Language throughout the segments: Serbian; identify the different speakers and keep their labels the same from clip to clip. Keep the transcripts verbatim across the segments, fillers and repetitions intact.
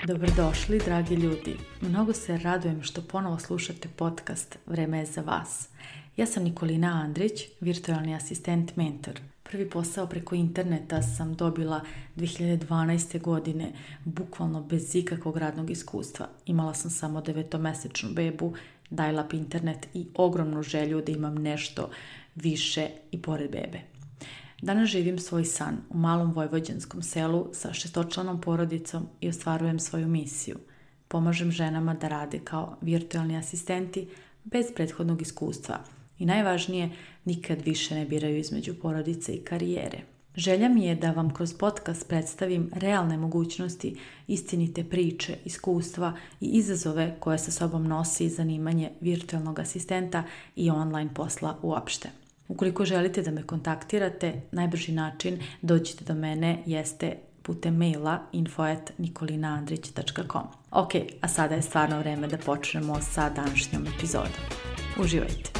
Speaker 1: Dobrodošli, dragi ljudi. Mnogo se radujem što ponovo slušate podcast Vreme je za vas. Ja sam Nikolina Andrić, virtualni asistent mentor. Prvi posao preko interneta sam dobila dve hiljade dvanaeste. godine, bukvalno bez ikakvog radnog iskustva. Imala sam samo devetomesečnu bebu, dial-up internet i ogromnu želju da imam nešto više i pored bebe. Danas živim svoj san u malom vojvođanskom selu sa šestočlanom porodicom i ostvarujem svoju misiju. Pomažem ženama da rade kao virtualni asistenti bez prethodnog iskustva i najvažnije, nikad više ne biraju između porodice i karijere. Želja mi je da vam kroz podcast predstavim realne mogućnosti, istinite priče, iskustva i izazove koje sa sobom nosi zanimanje virtualnog asistenta i online posla uopšte. Ukoliko želite da me kontaktirate, najbrži način dođite do mene jeste putem maila info at nikolinaandrić tačka com. Ok, a sada je stvarno vreme da počnemo sa današnjom epizodom. Uživajte!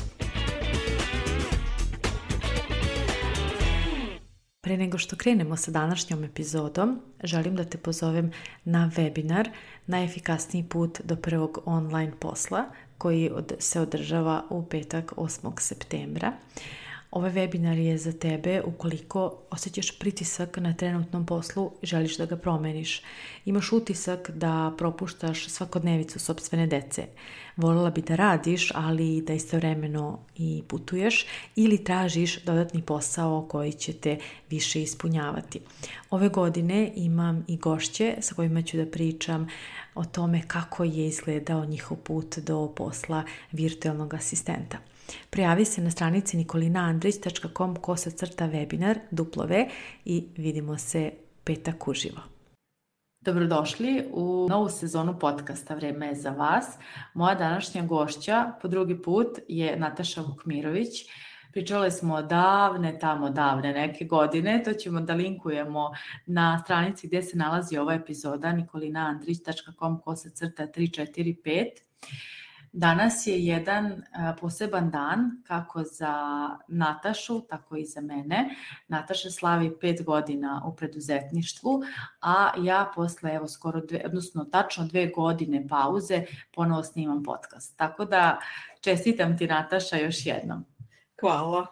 Speaker 1: Pre nego što krenemo sa današnjom epizodom, želim da te pozovem na webinar Najefikasniji put do prvog online posla koji se održava u petak osmog septembra. Ovaj webinar je za tebe ukoliko osjećaš pritisak na trenutnom poslu i želiš da ga promeniš. Imaš utisak da propuštaš svakodnevicu sopstvene dece. Voljela bi da radiš, ali da istovremeno i putuješ ili tražiš dodatni posao koji će te više ispunjavati. Ove godine imam i gošće sa kojima ću da pričam o tome kako je izgledao njihov put do posla virtualnog asistenta. Prijavi se na stranici nikolinaandrić tačka com kosa crta webinar duplove i vidimo se petak uživo. Dobrodošli u novu sezonu podcasta Vreme je za vas. Moja današnja gošća po drugi put je Nataša Vukmirović. Pričale smo davne, tamo davne neke godine, to ćemo da linkujemo na stranici gdje se nalazi ova epizoda nikolinaandrić tačka com kosa crta tri četiri pet. Danas je jedan poseban dan kako za Natašu, tako i za mene. Nataša slavi pet godina u preduzetništvu, a ja posle evo skoro dve, odnosno tačno dve godine pauze ponovo snimam podcast. Tako da čestitam ti, Nataša, još jednom.
Speaker 2: Hvala.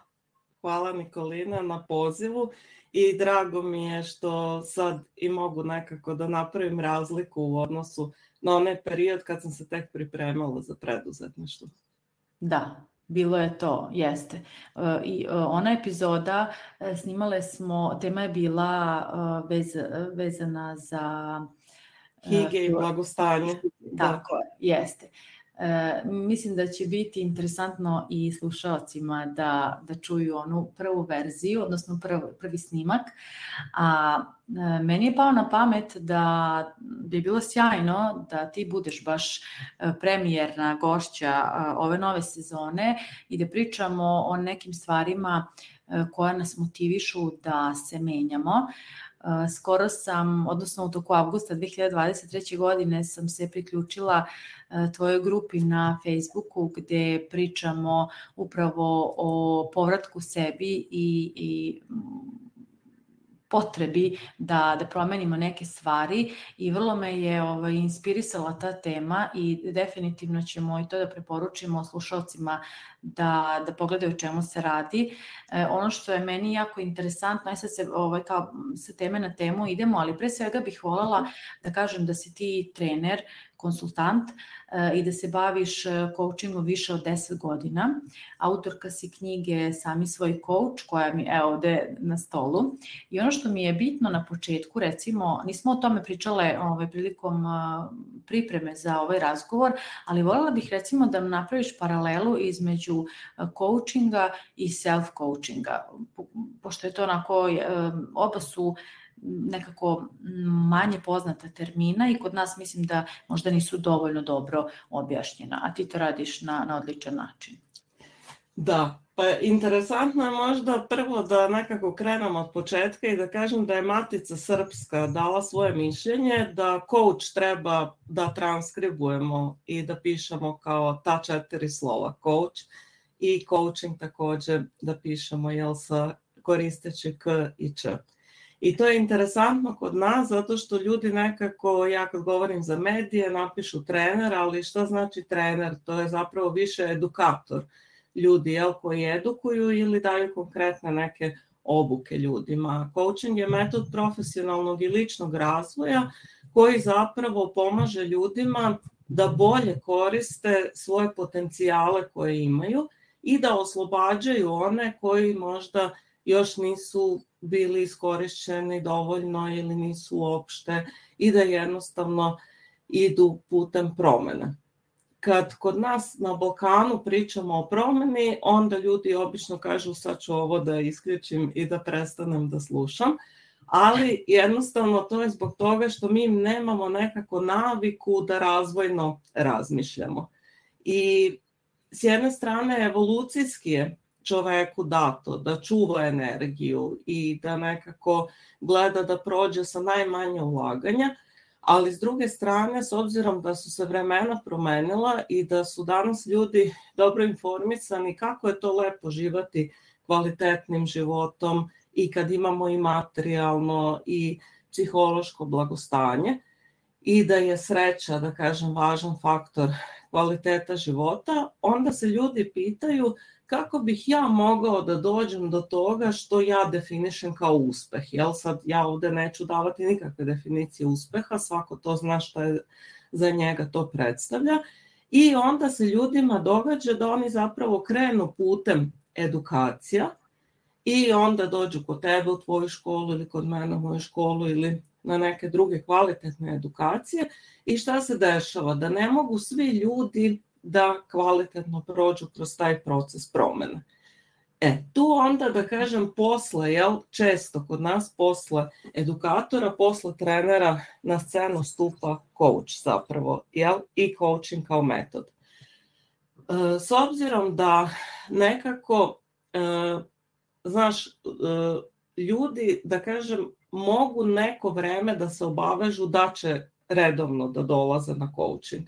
Speaker 2: Hvala Nikolina na pozivu i drago mi je što sad i mogu nekako da napravim razliku u odnosu na onaj period kad sam se tek pripremala za preduzetništvo.
Speaker 1: Da, bilo je to, jeste. I ona epizoda snimale smo, tema je bila vez, vezana za
Speaker 2: higije i blagostanje.
Speaker 1: Tako je, jeste. E, mislim da će biti interesantno i slušalcima da, da čuju onu prvu verziju, odnosno prv, prvi snimak. A e, meni je pao na pamet da bi bilo sjajno da ti budeš baš premijerna gošća ove nove sezone i da pričamo o nekim stvarima koje nas motivišu da se menjamo. Skoro sam, odnosno u toku avgusta dve hiljade dvadeset treće. godine sam se priključila tvojoj grupi na Facebooku gdje pričamo upravo o povratku sebi i, i potrebi da, da promenimo neke stvari i vrlo me je ovaj, inspirisala ta tema i definitivno ćemo i to da preporučimo slušalcima da, da pogledaju o čemu se radi. E, ono što je meni jako interesantno, aj sad se ovaj, kao sa teme na temu idemo, ali pre svega bih voljela da kažem da si ti trener, konsultant e, i da se baviš coachingom više od deset godina. Autorka si knjige Sami svoj coach, koja mi je ovde na stolu. I ono što mi je bitno na početku, recimo, nismo o tome pričale ovaj, prilikom a, pripreme za ovaj razgovor, ali voljela bih recimo da napraviš paralelu između coachinga i self-coachinga, po, pošto je to onako, e, oba su nekako manje poznata termina i kod nas mislim da možda nisu dovoljno dobro objašnjena, a ti to radiš na, na odličan način.
Speaker 2: Da, pa interesantno je možda prvo da nekako krenemo od početka i da kažem da je Matica Srpska dala svoje mišljenje da coach treba da transkribujemo i da pišemo kao ta četiri slova coach i coaching također da pišemo jel sa koristeći k i č. I to je interesantno kod nas zato što ljudi nekako, ja kad govorim za medije, napišu trener, ali šta znači trener? To je zapravo više edukator ljudi, jel, koji edukuju ili daju konkretne neke obuke ljudima. Coaching je metod profesionalnog i ličnog razvoja koji zapravo pomaže ljudima da bolje koriste svoje potencijale koje imaju i da oslobađaju one koji možda još nisu bili iskorišćeni dovoljno ili nisu uopšte i da jednostavno idu putem promene. Kad kod nas na Balkanu pričamo o promeni, onda ljudi obično kažu sad ću ovo da isključim i da prestanem da slušam, ali jednostavno to je zbog toga što mi nemamo nekako naviku da razvojno razmišljamo. I s jedne strane evolucijski je čoveku dato da čuva energiju i da nekako gleda da prođe sa najmanje ulaganja, ali s druge strane, s obzirom da su se vremena promenila i da su danas ljudi dobro informisani kako je to lepo živati kvalitetnim životom i kad imamo i materijalno i psihološko blagostanje i da je sreća, da kažem, važan faktor kvaliteta života, onda se ljudi pitaju kako bih ja mogao da dođem do toga što ja definišem kao uspeh. Jel sad ja ovde neću davati nikakve definicije uspeha, svako to zna šta je za njega to predstavlja. I onda se ljudima događa da oni zapravo krenu putem edukacija i onda dođu kod tebe u tvoju školu ili kod mene u moju školu ili na neke druge kvalitetne edukacije. I šta se dešava? Da ne mogu svi ljudi da kvalitetno prođu kroz taj proces promene. E, tu onda da kažem posle, jel, često kod nas posle edukatora, posle trenera na scenu stupa coach zapravo, jel, i coaching kao metod. E, s obzirom da nekako, e, znaš, e, ljudi, da kažem, mogu neko vreme da se obavežu da će redovno da dolaze na coaching.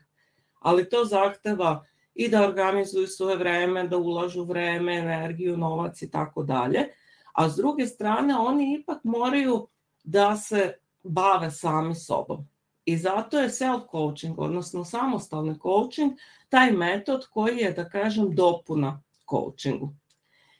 Speaker 2: Ali to zahteva i da organizuju svoje vreme, da ulažu vreme, energiju, novac i tako dalje. A s druge strane, oni ipak moraju da se bave sami sobom. I zato je self-coaching, odnosno samostalni coaching, taj metod koji je, da kažem, dopuna coachingu.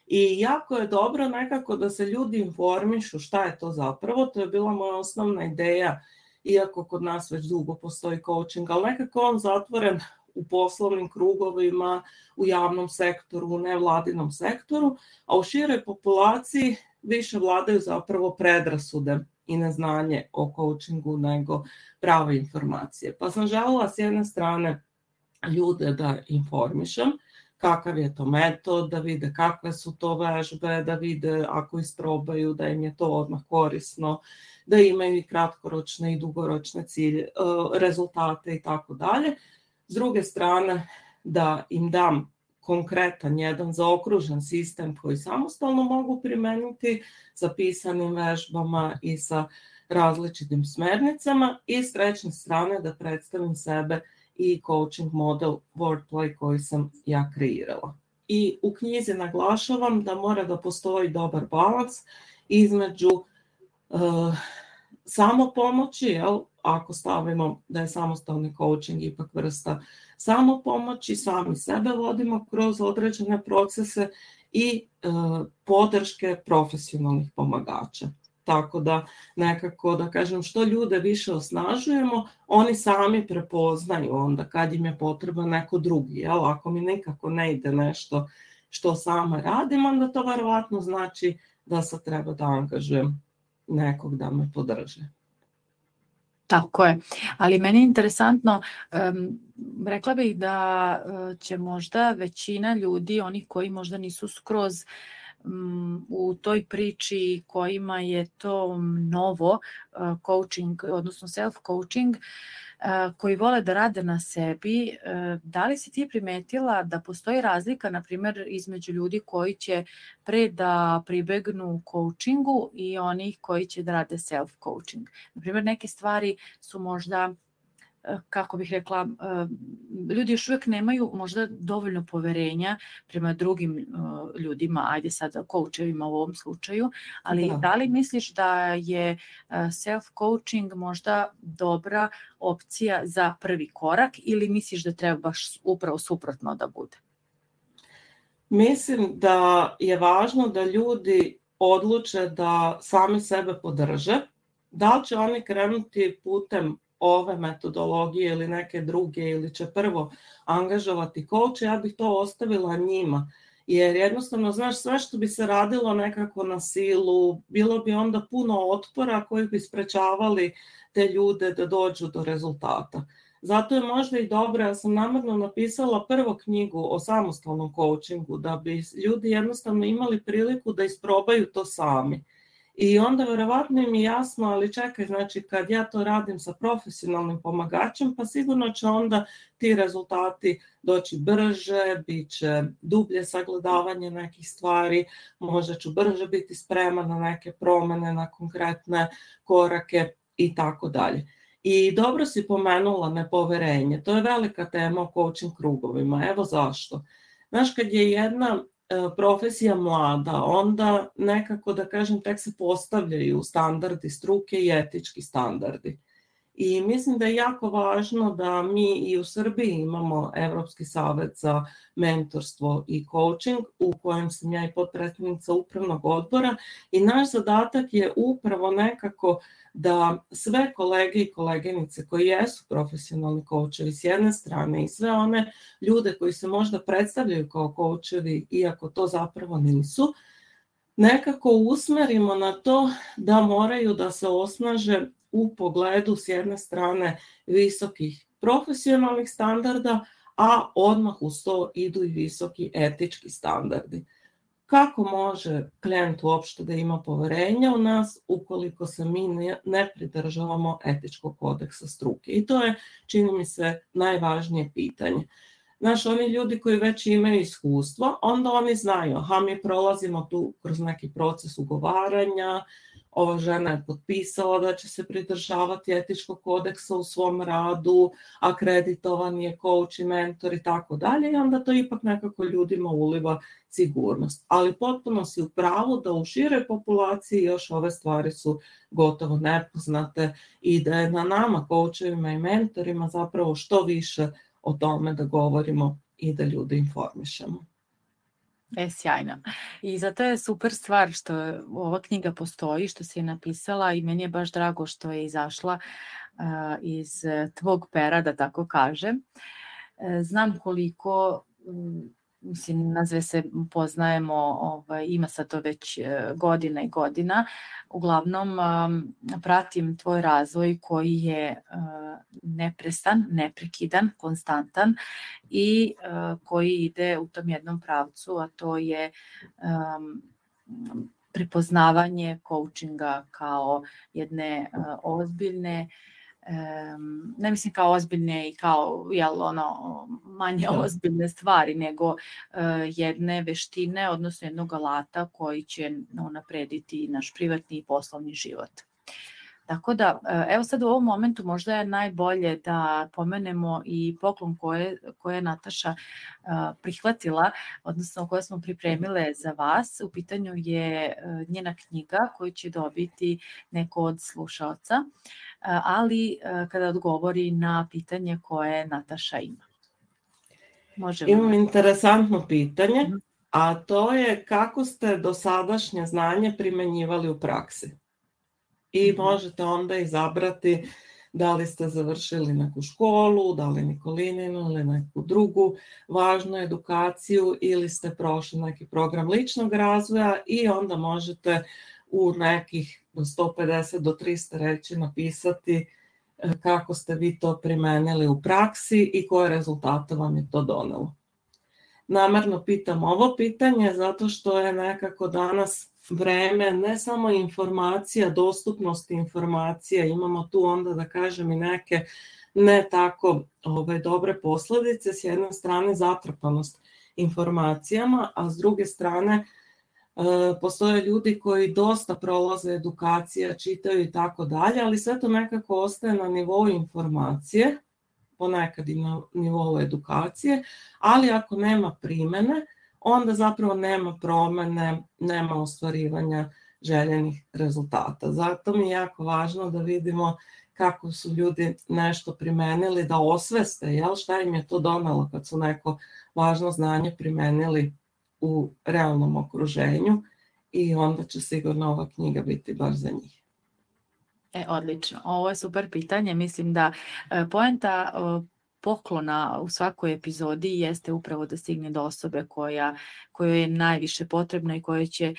Speaker 2: I jako je dobro nekako da se ljudi informišu šta je to zapravo. To je bila moja osnovna ideja, iako kod nas već dugo postoji coaching, ali nekako on zatvoren u poslovnim krugovima, u javnom sektoru, u nevladinom sektoru, a u široj populaciji više vladaju zapravo predrasude i neznanje o coachingu nego prave informacije. Pa sam želela s jedne strane ljude da informišem kakav je to metod, da vide kakve su to vežbe, da vide ako isprobaju da im je to odmah korisno, da imaju i kratkoročne i dugoročne cilje, rezultate i tako dalje. S druge strane, da im dam konkretan jedan zaokružen sistem koji samostalno mogu primeniti sa pisanim vežbama i sa različitim smernicama i s treće strane da predstavim sebe i coaching model Wordplay koji sam ja kreirala. I u knjizi naglašavam da mora da postoji dobar balans između uh, samopomoći, jel, ako stavimo da je samostalni coaching ipak vrsta samopomoći, sami sebe vodimo kroz određene procese i uh, podrške profesionalnih pomagača. Tako da nekako, da kažem, što ljude više osnažujemo, oni sami prepoznaju onda kad im je potreba neko drugi. Jel? Ako mi nekako ne ide nešto što sama radim, onda to verovatno znači da sad treba da angažujem nekog da me podrže.
Speaker 1: Tako je, ali meni je interesantno, um, rekla bih da uh, će možda većina ljudi, onih koji možda nisu skroz u toj priči kojima je to novo, coaching, odnosno self-coaching, koji vole da rade na sebi, da li si ti primetila da postoji razlika, na primjer, između ljudi koji će pre da pribegnu coachingu i onih koji će da rade self-coaching? Na primjer, neke stvari su možda kako bih rekla, ljudi još uvijek nemaju možda dovoljno poverenja prema drugim ljudima, ajde sad coachevima u ovom slučaju, ali da. da li misliš da je self-coaching možda dobra opcija za prvi korak ili misliš da treba baš upravo suprotno da bude?
Speaker 2: Mislim da je važno da ljudi odluče da sami sebe podrže. Da li će oni krenuti putem ove metodologije ili neke druge ili će prvo angažovati coacha, ja bih to ostavila njima. Jer jednostavno, znaš, sve što bi se radilo nekako na silu, bilo bi onda puno otpora koji bi sprečavali te ljude da dođu do rezultata. Zato je možda i dobro, ja sam namjerno napisala prvo knjigu o samostalnom coachingu, da bi ljudi jednostavno imali priliku da isprobaju to sami. I onda verovatno im je jasno, ali čekaj, znači kad ja to radim sa profesionalnim pomagačem, pa sigurno će onda ti rezultati doći brže, bit će dublje sagledavanje nekih stvari, možda ću brže biti spreman na neke promjene, na konkretne korake i tako dalje. I dobro si pomenula nepoverenje, to je velika tema o coaching krugovima, evo zašto. Znaš, kad je jedna profesija mlada, onda nekako, da kažem, tek se postavljaju standardi struke i etički standardi. I mislim da je jako važno da mi i u Srbiji imamo Evropski savet za mentorstvo i coaching, u kojem sam ja i potpredsjednica upravnog odbora, i naš zadatak je upravo nekako da sve kolege i koleginice koji jesu profesionalni coachevi s jedne strane i sve one ljude koji se možda predstavljaju kao coachevi, iako to zapravo nisu, nekako usmerimo na to da moraju da se osnaže u pogledu s jedne strane visokih profesionalnih standarda, a odmah uz to idu i visoki etički standardi. Kako može klijent uopšte da ima poverenja u nas ukoliko se mi ne pridržavamo etičkog kodeksa struke? I to je, čini mi se, najvažnije pitanje. Znaš, oni ljudi koji već imaju iskustvo, onda oni znaju, aha, mi prolazimo tu kroz neki proces ugovaranja, ova žena je potpisala da će se pridržavati etičkog kodeksa u svom radu, akreditovan je coach i mentor i tako dalje, i onda to ipak nekako ljudima uliva sigurnost. Ali potpuno si u pravu da u široj populaciji još ove stvari su gotovo nepoznate i da je na nama, coachovima i mentorima, zapravo što više o tome da govorimo i da ljude informišemo.
Speaker 1: E, sjajno. I zato je super stvar što ova knjiga postoji, što si je napisala, i meni je baš drago što je izašla uh, iz tvog pera, da tako kažem. E, znam koliko, um, mislim, nazve se poznajemo, ovaj, ima sad to već uh, godina i godina. Uglavnom, um, pratim tvoj razvoj koji je uh, neprestan, neprekidan, konstantan i uh, koji ide u tom jednom pravcu, a to je um, prepoznavanje coachinga kao jedne uh, ozbiljne, um, ne mislim kao ozbiljne i kao jel, ono, manje ozbiljne stvari, nego uh, jedne veštine, odnosno jednog alata koji će unaprediti naš privatni i poslovni život. Tako da, evo sad u ovom momentu možda je najbolje da pomenemo i poklon koje, koje je Nataša uh, prihvatila, odnosno koje smo pripremile za vas. U pitanju je uh, njena knjiga koju će dobiti neko od slušaoca, uh, ali uh, kada odgovori na pitanje koje Nataša ima.
Speaker 2: Možemo. Imam interesantno pitanje, mm-hmm. a to je kako ste dosadašnje znanje primenjivali u praksi? I možete onda izabrati da li ste završili neku školu, da li Nikolininu ili neku drugu važnu edukaciju ili ste prošli neki program ličnog razvoja, i onda možete u nekih sto pedeset do trista reći napisati kako ste vi to primenili u praksi i koje rezultate vam je to donelo. Namerno pitam ovo pitanje zato što je nekako danas vreme ne samo informacija, dostupnosti informacija, imamo tu onda da kažem i neke ne tako ove, dobre posljedice, s jedne strane zatrpanost informacijama, a s druge strane e, postoje ljudi koji dosta prolaze edukacija, čitaju i tako dalje, ali sve to nekako ostaje na nivou informacije ponekad i na nivou edukacije, ali ako nema primene, onda zapravo nema promene, nema ostvarivanja željenih rezultata. Zato mi je jako važno da vidimo kako su ljudi nešto primenili, da osveste, jel, šta im je to donelo kad su neko važno znanje primenili u realnom okruženju, i onda će sigurno ova knjiga biti baš za njih.
Speaker 1: E, odlično. Ovo je super pitanje. Mislim da e, poenta e, poklona u svakoj epizodi jeste upravo da stigne do osobe koja, kojoj je najviše potrebna i koja će e,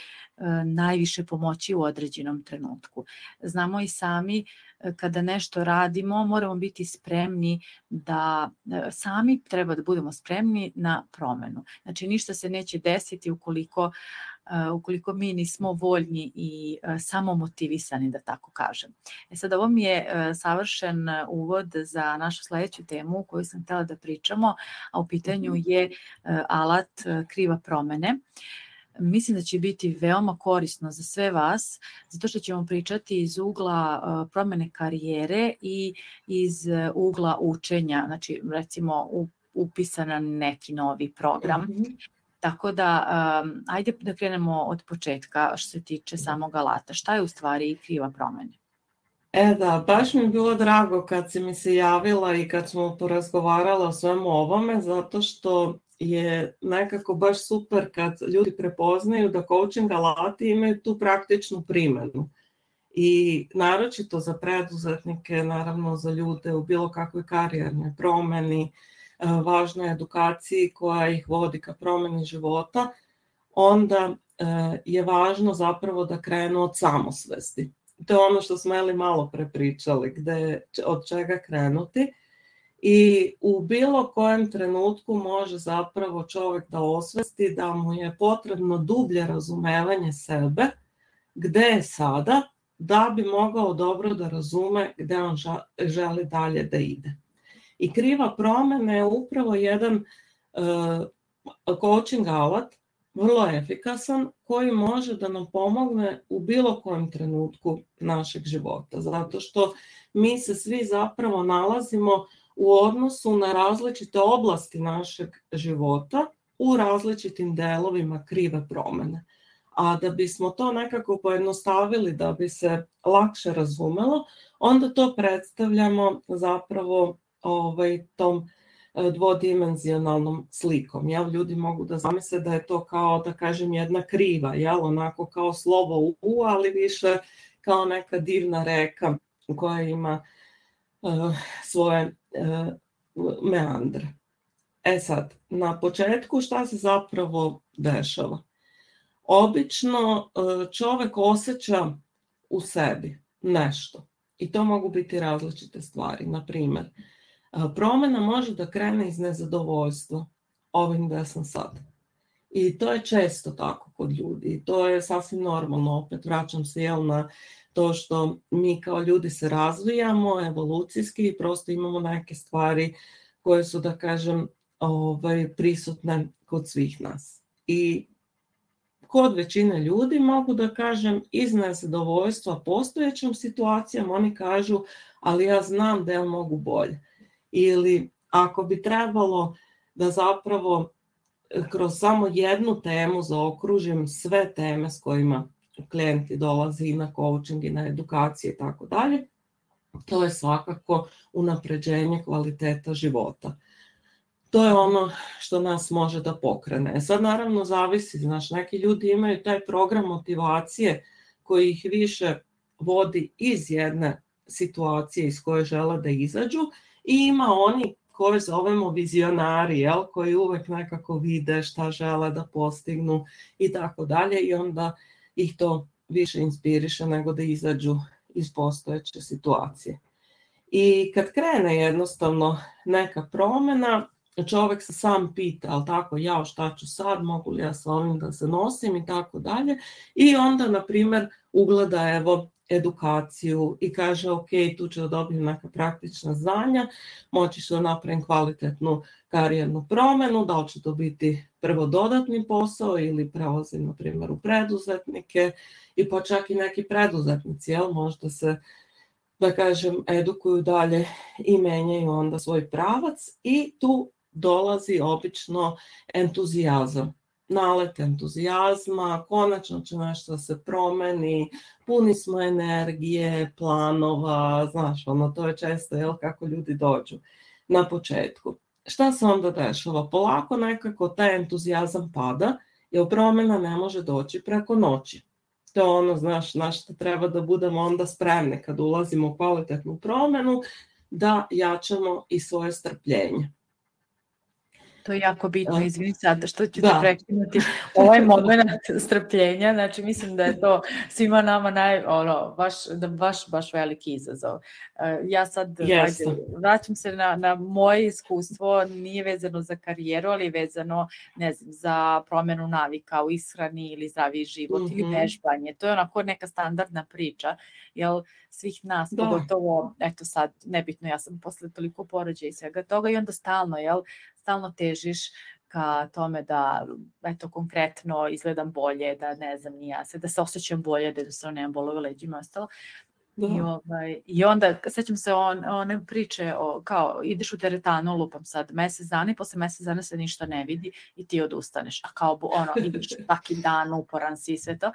Speaker 1: najviše pomoći u određenom trenutku. Znamo i sami, e, kada nešto radimo, moramo biti spremni da e, sami treba da budemo spremni na promenu. Znači, ništa se neće desiti ukoliko Uh, ukoliko mi nismo voljni i uh, samo motivisani, da tako kažem. E sad, ovo mi je uh, savršen uvod za našu sledeću temu koju sam htjela da pričamo, a u pitanju je uh, alat uh, kriva promene. Mislim da će biti veoma korisno za sve vas, zato što ćemo pričati iz ugla uh, promene karijere i iz uh, ugla učenja, znači recimo u, upisa na neki novi program. Mm-hmm. Tako da, um, ajde da krenemo od početka što se tiče samog alata. Šta je u stvari kriva promena?
Speaker 2: E da, baš mi je bilo drago kad si mi se javila i kad smo porazgovarala o svemu ovome, zato što je nekako baš super kad ljudi prepoznaju da coaching alati imaju tu praktičnu primjenu. I naročito za preduzetnike, naravno za ljude u bilo kakvoj karijernoj promjeni, važnoj edukaciji koja ih vodi ka promjeni života, onda je važno zapravo da krenu od samosvesti. To je ono što smo Eli malo prepričali, gde, od čega krenuti. I u bilo kojem trenutku može zapravo čovjek da osvesti da mu je potrebno dublje razumevanje sebe, gde je sada, da bi mogao dobro da razume gde on želi dalje da ide. I kriva promjena je upravo jedan uh, coaching alat, vrlo efikasan, koji može da nam pomogne u bilo kojem trenutku našeg života. Zato što mi se svi zapravo nalazimo u odnosu na različite oblasti našeg života, u različitim delovima krive promjene. A da bismo to nekako pojednostavili, da bi se lakše razumelo, onda to predstavljamo zapravo ovaj, tom dvodimenzionalnom slikom. Jel? Ljudi mogu da zamisle da je to kao, da kažem, jedna kriva, jel? Onako kao slovo U, ali više kao neka divna reka koja ima uh, svoje uh, meandre. E sad, na početku šta se zapravo dešava? Obično uh, čovjek osjeća u sebi nešto. I to mogu biti različite stvari. Na primjer, promjena može da krene iz nezadovoljstva ovim gde sam sad. I to je često tako kod ljudi. I to je sasvim normalno. Opet vraćam se jel, na to što mi kao ljudi se razvijamo evolucijski i prosto imamo neke stvari koje su, da kažem, ovaj, prisutne kod svih nas. I kod većine ljudi mogu da kažem iz nezadovoljstva postojećom situacijom, oni kažu ali ja znam da ja mogu bolje. Ili ako bi trebalo da zapravo kroz samo jednu temu zaokružim sve teme s kojima klijenti dolaze i na coaching i na edukacije i tako dalje, to je svakako unapređenje kvaliteta života. To je ono što nas može da pokrene. Sad naravno zavisi, znaš, neki ljudi imaju taj program motivacije koji ih više vodi iz jedne situacije iz koje žele da izađu i ima oni koje zovemo vizionari, jel, koji uvek nekako vide šta žele da postignu i tako dalje i onda ih to više inspiriše nego da izađu iz postojeće situacije. I kad krene jednostavno neka promjena, čovjek se sam pita, ali tako, ja šta ću sad, mogu li ja sa ovim da se nosim i tako dalje. I onda, na primjer, ugleda evo edukaciju i kaže, ok, tu ću da dobijem neka praktična znanja, moći ću da napravim kvalitetnu karijernu promjenu, da li će to biti prvo dodatni posao ili prelazim, na primjer, u preduzetnike i pa čak i neki preduzetnici, jel, možda se da kažem, edukuju dalje i menjaju onda svoj pravac i tu dolazi obično entuzijazam. Nalet entuzijazma, konačno će nešto da se promeni, puni smo energije, planova, znaš, ono, to je često, jel, kako ljudi dođu na početku. Šta se onda dešava? Polako nekako taj entuzijazam pada, jer promjena ne može doći preko noći. To je ono, znaš, na što treba da budemo onda spremni kad ulazimo u kvalitetnu promjenu, da jačamo i svoje strpljenje.
Speaker 1: To je jako bitno, izvini sad što ću
Speaker 2: da.
Speaker 1: te prekinuti, ovaj moment strpljenja, znači mislim da je to svima nama naj, ono, baš, baš, baš veliki izazov. Ja sad ajde, vraćam se na, na moje iskustvo, nije vezano za karijeru, ali vezano, ne znam, za promjenu navika u ishrani ili zdraviji život mm-hmm. ili vežbanje. To je onako neka standardna priča, jel svih nas, da. Pogotovo, eto sad, nebitno, ja sam posle toliko porođaja i svega toga i onda stalno, jel, stalno težiš ka tome da, eto, konkretno izgledam bolje, da ne znam, ni ja se, da se osjećam bolje, da jednostavno nemam bolove leđima i ostalo. I, ovaj, I onda, sećam se on, one priče, o, kao, ideš u teretanu, lupam sad, mesec dana i posle mesec dana se ništa ne vidi i ti odustaneš. A kao, ono, ideš svaki dan, uporan si i sve to.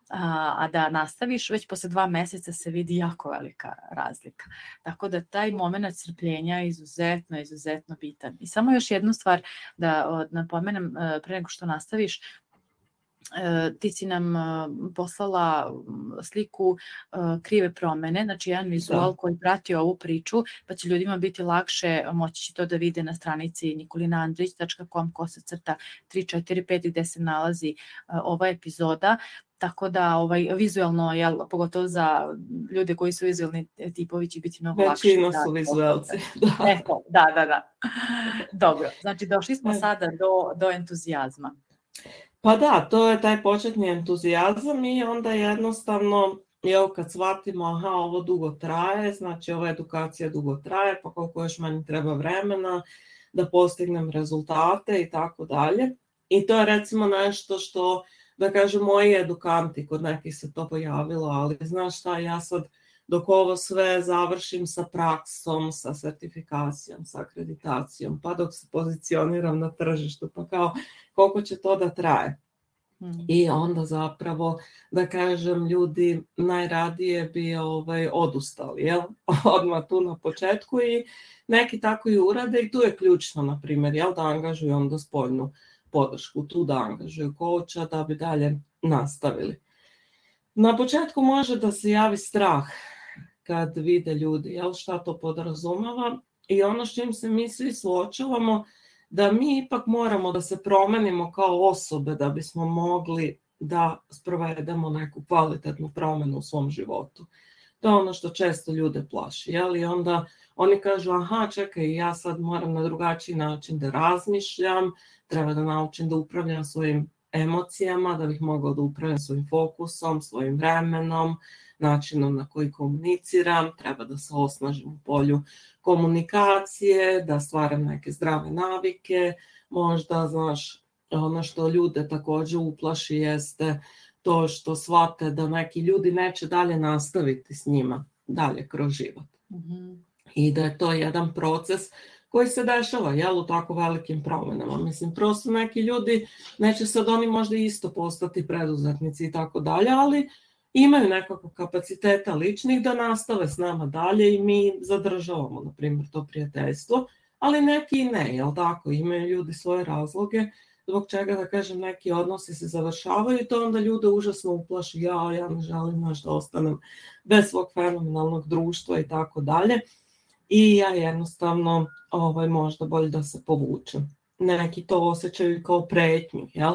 Speaker 1: A, a da nastaviš, već posle dva meseca se vidi jako velika razlika. Tako da taj moment strpljenja je izuzetno, izuzetno bitan. I samo još jednu stvar da napomenem pre nego što nastaviš, ti si nam poslala sliku krive promene, znači jedan vizual koji prati ovu priču, pa će ljudima biti lakše, moći će to da vide na stranici nikolina andrić tačka com kosa crta tri četiri pet gde se nalazi ova epizoda. Tako da ovaj, vizualno, jel, pogotovo za ljude koji su vizualni tipovi će biti mnogo lakše.
Speaker 2: Većina su vizualci.
Speaker 1: Da. Eko, da, da, da. Dobro, znači došli smo sada do, do entuzijazma.
Speaker 2: Pa da, to je taj početni entuzijazam i onda jednostavno, evo kad shvatimo, aha, ovo dugo traje, znači ova edukacija dugo traje, pa koliko još meni treba vremena da postignem rezultate i tako dalje. I to je recimo nešto što, da kažem, moji edukanti, kod nekih se to pojavilo, ali znaš šta, ja sad dok ovo sve završim sa praksom, sa sertifikacijom, sa akreditacijom, pa dok se pozicioniram na tržištu, pa kao koliko će to da traje. Hmm. I onda zapravo, da kažem, ljudi najradije bi ovaj, odustali, jel? Odmah tu na početku i neki tako i urade i tu je ključno, na primjer, jel, da angažuju onda spoljnu podršku, tu da angažuju coacha da bi dalje nastavili. Na početku može da se javi strah kad vide ljudi, jel, šta to podrazumeva i ono s čim se mi svi suočavamo, da mi ipak moramo da se promenimo kao osobe da bismo mogli da sprovedemo neku kvalitetnu promjenu u svom životu. To je ono što često ljude plaši, jel, i onda oni kažu, aha, čekaj, ja sad moram na drugačiji način da razmišljam, treba da naučim da upravljam svojim emocijama, da bih mogla da upravljam svojim fokusom, svojim vremenom, načinom na koji komuniciram, treba da se osnažim u polju komunikacije, da stvaram neke zdrave navike, možda, znaš, ono što ljude također uplaši jeste to što shvate da neki ljudi neće dalje nastaviti s njima, dalje kroz život. Mm-hmm. I da je to jedan proces koji se dešava, jel, u tako velikim promjenama. Mislim, prosto neki ljudi, neće sad oni možda isto postati preduzetnici i tako dalje, ali imaju nekako kapaciteta ličnih da nastave s nama dalje i mi zadržavamo, na primjer, to prijateljstvo, ali neki i ne, jel tako, imaju ljudi svoje razloge, zbog čega, da kažem, neki odnosi se završavaju i to onda ljude užasno uplaši, ja, ja ne želim možda ostanem bez svog fenomenalnog društva i tako dalje. I ja jednostavno ovaj, možda bolje da se povučem. Neki to osjećaju kao pretnju, jel?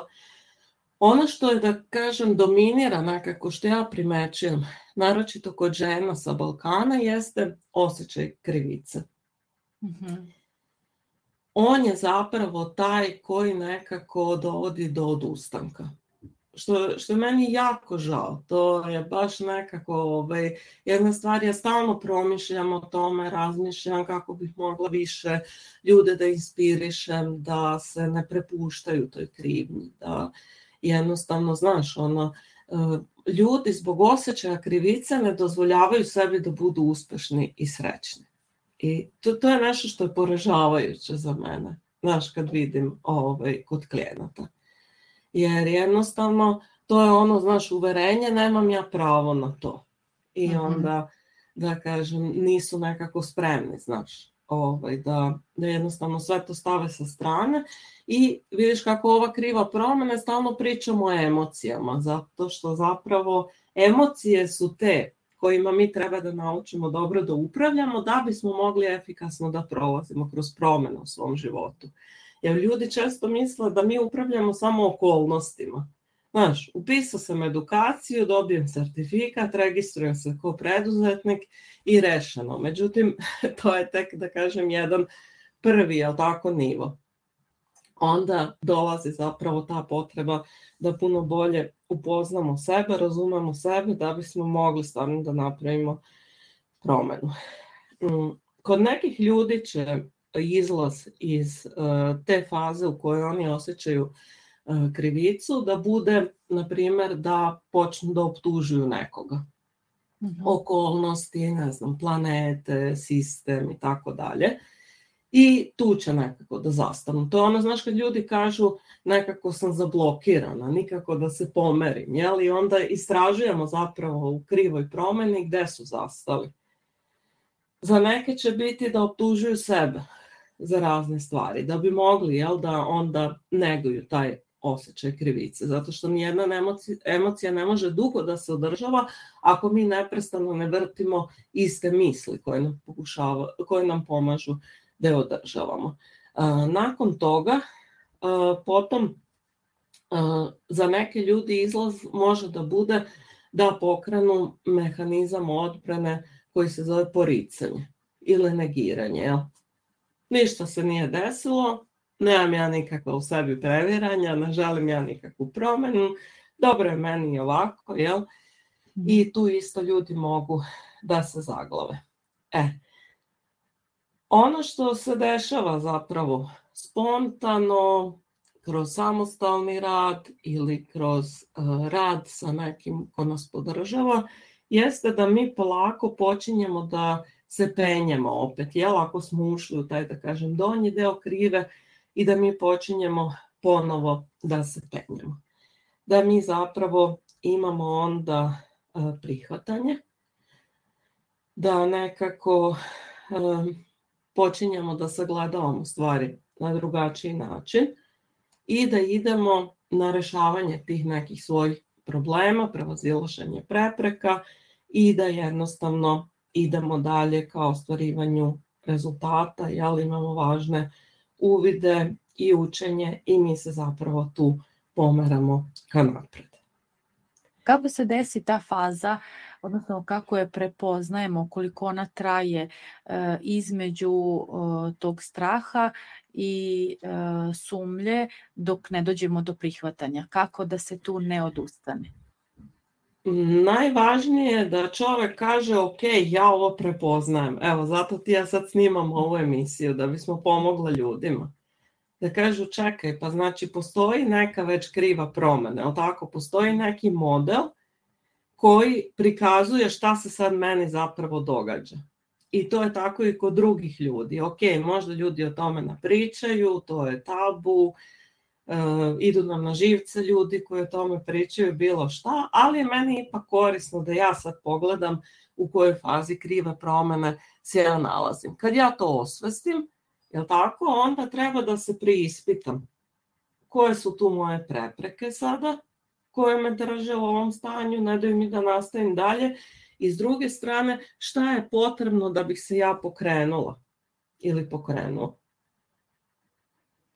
Speaker 2: Ono što je, da kažem, dominira nekako što ja primećujem, naročito kod žena sa Balkana, jeste osjećaj krivice. Mm-hmm. On je zapravo taj koji nekako dovodi do odustanka. Što, što je meni jako žao, to je baš nekako, ovaj, jedna stvar, ja stalno promišljam o tome, razmišljam kako bih mogla više ljude da inspirišem, da se ne prepuštaju toj krivnji, da jednostavno, znaš, ono, ljudi zbog osjećaja krivice ne dozvoljavaju sebi da budu uspešni i srećni. I to, to je nešto što je poražavajuće za mene, znaš, kad vidim ovaj, kod klijenata. Jer jednostavno to je ono, znaš, uverenje, nemam ja pravo na to. I mm-hmm. onda, da kažem, nisu nekako spremni, znaš, ovaj, da, da jednostavno sve to stave sa strane. I vidiš kako ova kriva promjena, stalno pričamo o emocijama, zato što zapravo emocije su te kojima mi treba da naučimo dobro da upravljamo, da bismo mogli efikasno da prolazimo kroz promjene u svom životu. Jer ljudi često misle da mi upravljamo samo okolnostima. Znaš, upisao sam edukaciju, dobijem sertifikat, registrujem se kao preduzetnik i rešeno. Međutim, to je tek, da kažem, jedan prvi, jel tako, nivo. Onda dolazi zapravo ta potreba da puno bolje upoznamo sebe, razumemo sebe, da bismo mogli stvarno da napravimo promjenu. Kod nekih ljudi će izlaz iz uh, te faze u kojoj oni osjećaju uh, krivicu da bude, na primjer, da počnu da optužuju nekoga. Mm-hmm. Okolnosti, ne znam, planete, sistem i tako dalje. I tu će nekako da zastanu. To je ono, znaš, kad ljudi kažu nekako sam zablokirana, nikako da se pomerim, jel? I onda istražujemo zapravo u krivoj promjeni gde su zastali. Za neke će biti da optužuju sebe za razne stvari, da bi mogli, jel, da onda neguju taj osjećaj krivice, zato što nijedna emocija, emocija ne može dugo da se održava ako mi neprestano ne vrtimo iste misli koje nam, pokušava, koje nam pomažu da je održavamo. Uh, nakon toga, uh, potom uh, za neke ljudi izlaz može da bude da pokrenu mehanizam odbrane koji se zove poricanje ili negiranje. Jel? Ništa se nije desilo, nemam ja nikakva u sebi previranja, ne želim ja nikakvu promjenu, dobro je meni ovako, jel? I tu isto ljudi mogu da se zaglave. E, ono što se dešava zapravo spontano, kroz samostalni rad ili kroz uh, rad sa nekim ko nas podržava, jeste da mi polako počinjemo da se penjemo opet, jel, ako smo ušli u taj, da kažem, donji deo krive i da mi počinjemo ponovo da se penjemo. Da mi zapravo imamo onda uh, prihvatanje, da nekako uh, počinjemo da sagledavamo stvari na drugačiji način i da idemo na rešavanje tih nekih svojih problema, prevazilaženje prepreka i da jednostavno idemo dalje ka ostvarivanju rezultata, jel, imamo važne uvide i učenje i mi se zapravo tu pomeramo ka napred.
Speaker 1: Kako se desi ta faza, odnosno kako je prepoznajemo, koliko ona traje e, između e, tog straha i e, sumlje dok ne dođemo do prihvatanja? Kako da se tu ne odustane?
Speaker 2: Najvažnije je da čovjek kaže ok, ja ovo prepoznajem. Evo, zato ti ja sad snimam ovu emisiju da bismo pomogli ljudima. Da kažu čekaj, pa znači postoji neka već kriva promjena, jel tako? Postoji neki model koji prikazuje šta se sad meni zapravo događa. I to je tako i kod drugih ljudi. Ok, možda ljudi o tome napričaju, to je tabu, e, idu nam na živce ljudi koji o tome pričaju, bilo šta, ali je meni ipak korisno da ja sad pogledam u kojoj fazi krive promjene se ja nalazim. Kad ja to osvestim, jel tako, onda treba da se preispitam koje su tu moje prepreke sada, koje me drže u ovom stanju, ne daju mi da nastavim dalje. I s druge strane, šta je potrebno da bih se ja pokrenula ili pokrenuo.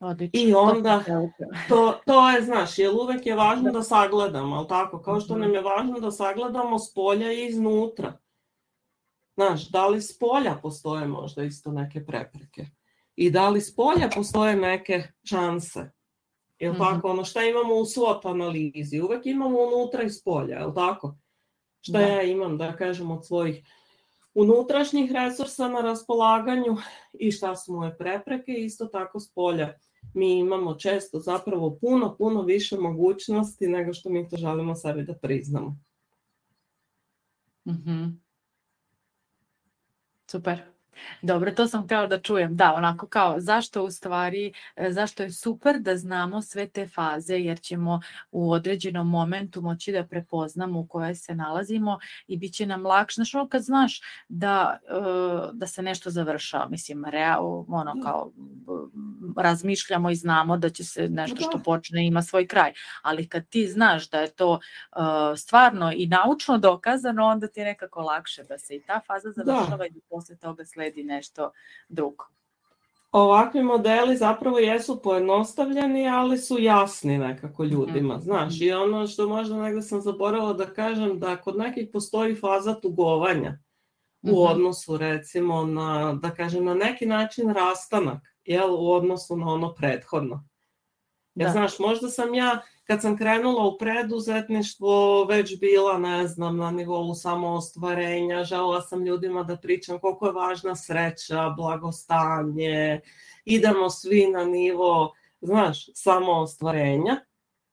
Speaker 1: Odlično.
Speaker 2: I onda, to, to je, znaš, jer uvek je važno da sagledamo, ali tako, kao što nam je važno da sagledamo s polja i iznutra. Znaš, da li s polja postoje možda isto neke prepreke? I da li s polja postoje neke šanse? Jel mm-hmm. tako? Ono šta imamo u SWOT analizi? Uvek imamo unutra i s polja, jel tako? Šta da. Ja imam, da kažem, od svojih unutrašnjih resursa na raspolaganju i šta su moje prepreke, isto tako s polja. Mi imamo često zapravo puno, puno više mogućnosti nego što mi to želimo sebi da priznamo.
Speaker 1: Mm-hmm. Super. Dobro, to sam htjela da čujem. Da, onako kao zašto u stvari, zašto je super da znamo sve te faze, jer ćemo u određenom momentu moći da prepoznamo u kojoj se nalazimo i bit će nam lakše. Znaš, ono kad znaš da, da se nešto završava, mislim, real, ono kao razmišljamo i znamo da će se nešto što počne ima svoj kraj, ali kad ti znaš da je to stvarno i naučno dokazano, onda ti je nekako lakše da se i ta faza završava da. I da posle toga sledi nešto drugo.
Speaker 2: Ovakvi modeli zapravo jesu pojednostavljeni, ali su jasni nekako ljudima, mm-hmm. znaš, i ono što možda negdje sam zaboravila da kažem, da kod nekih postoji faza tugovanja mm-hmm. u odnosu recimo na, da kažem, na neki način rastanak, jel, u odnosu na ono prethodno. Jer znaš, možda sam ja, kad sam krenula u preduzetništvo, već bila, ne znam, na nivou samoostvarenja, želela sam ljudima da pričam koliko je važna sreća, blagostanje, idemo svi na nivo, znaš, samoostvarenja.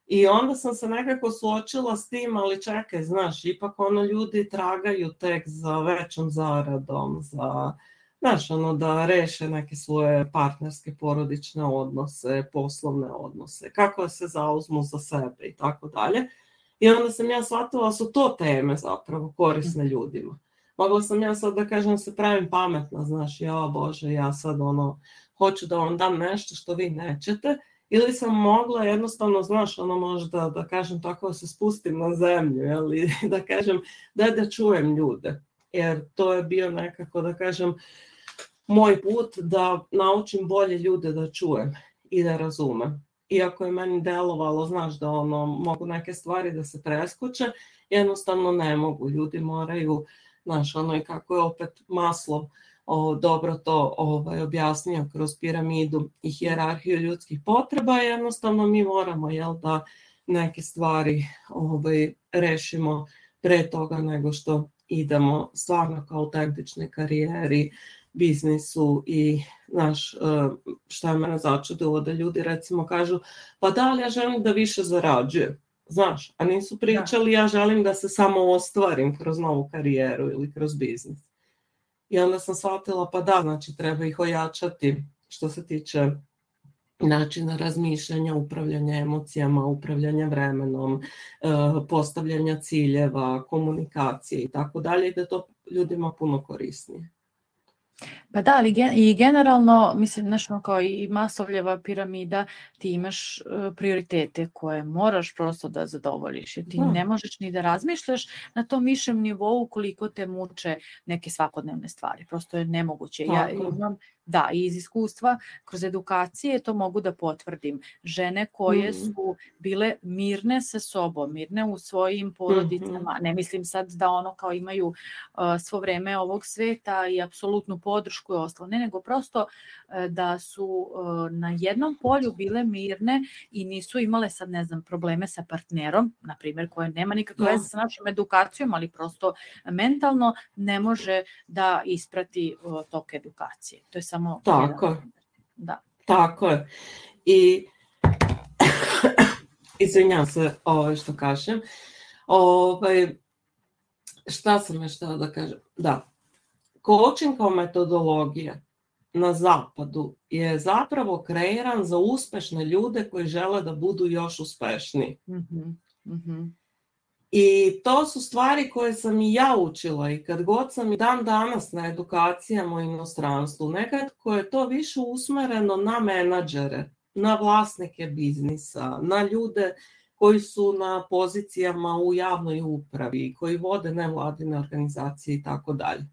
Speaker 2: I onda sam se nekako suočila s tim, ali čekaj, znaš, ipak ono ljudi tragaju tek za većom zaradom, za... Znaš, ono da reše neke svoje partnerske, porodične odnose, poslovne odnose, kako se zauzmu za sebe i tako dalje. I onda sam ja shvatila da su to teme zapravo korisne ljudima. Mogla sam ja sad da kažem se pravim pametna, znaš, ja Bože, ja sad ono, hoću da vam dam nešto što vi nećete, ili sam mogla jednostavno, znaš, ono možda da kažem tako da se spustim na zemlju, ili da kažem da da čujem ljude. Jer to je bio nekako, da kažem, moj put da naučim bolje ljude da čujem i da razumem. Iako je meni delovalo, znaš, da ono, mogu neke stvari da se preskoče, jednostavno ne mogu. Ljudi moraju, znaš, ono i kako je opet Maslov o, dobro to ovaj, objasnio kroz piramidu i hijerarhiju ljudskih potreba, jednostavno mi moramo, jel, da neke stvari ovaj, rešimo pre toga nego što idemo stvarno kao autentične karijeri, biznisu i znaš, šta je mene začudilo da ljudi recimo kažu pa da, ali ja želim da više zarađujem, znaš, a nisu pričali ja želim da se samo ostvarim kroz novu karijeru ili kroz biznis. I onda sam shvatila pa da, znači treba ih ojačati što se tiče načina razmišljanja, upravljanja emocijama, upravljanja vremenom, postavljanja ciljeva, komunikacije i tako dalje, i da to ljudima puno korisnije.
Speaker 1: Pa da, ali gen, i generalno, mislim, nešto kao i Maslovljeva piramida, ti imaš uh, prioritete koje moraš prosto da zadovoljiš. Jer ti da. Ne možeš ni da razmišljaš na tom višem nivou koliko te muče neke svakodnevne stvari. Prosto je nemoguće. Tako. Ja imam, da, i iz iskustva, kroz edukacije to mogu da potvrdim. Žene koje mm. su bile mirne sa sobom, mirne u svojim porodicama, mm-hmm. ne mislim sad da ono kao imaju uh, svo vreme ovog sveta i apsolutnu podršku i ostalo, ne, nego prosto uh, da su uh, na jednom polju bile mirne i nisu imale sad, ne znam, probleme sa partnerom, na primjer, koje nema nikakve veze sa našom edukacijom, ali prosto mentalno ne može da isprati uh, tok edukacije. To je samo
Speaker 2: tako je.
Speaker 1: Da.
Speaker 2: Tako je. I izvinjam se ovo što kažem. Ovaj, šta sam još htjela da kažem? Da. Coaching kao metodologija na zapadu je zapravo kreiran za uspešne ljude koji žele da budu još uspešniji.
Speaker 1: Mm-hmm. Mm-hmm.
Speaker 2: I to su stvari koje sam i ja učila i kad god sam i dan danas na edukacijama u inostranstvu, nekako je to više usmereno na menadžere, na vlasnike biznisa, na ljude koji su na pozicijama u javnoj upravi, koji vode nevladine organizacije i tako dalje.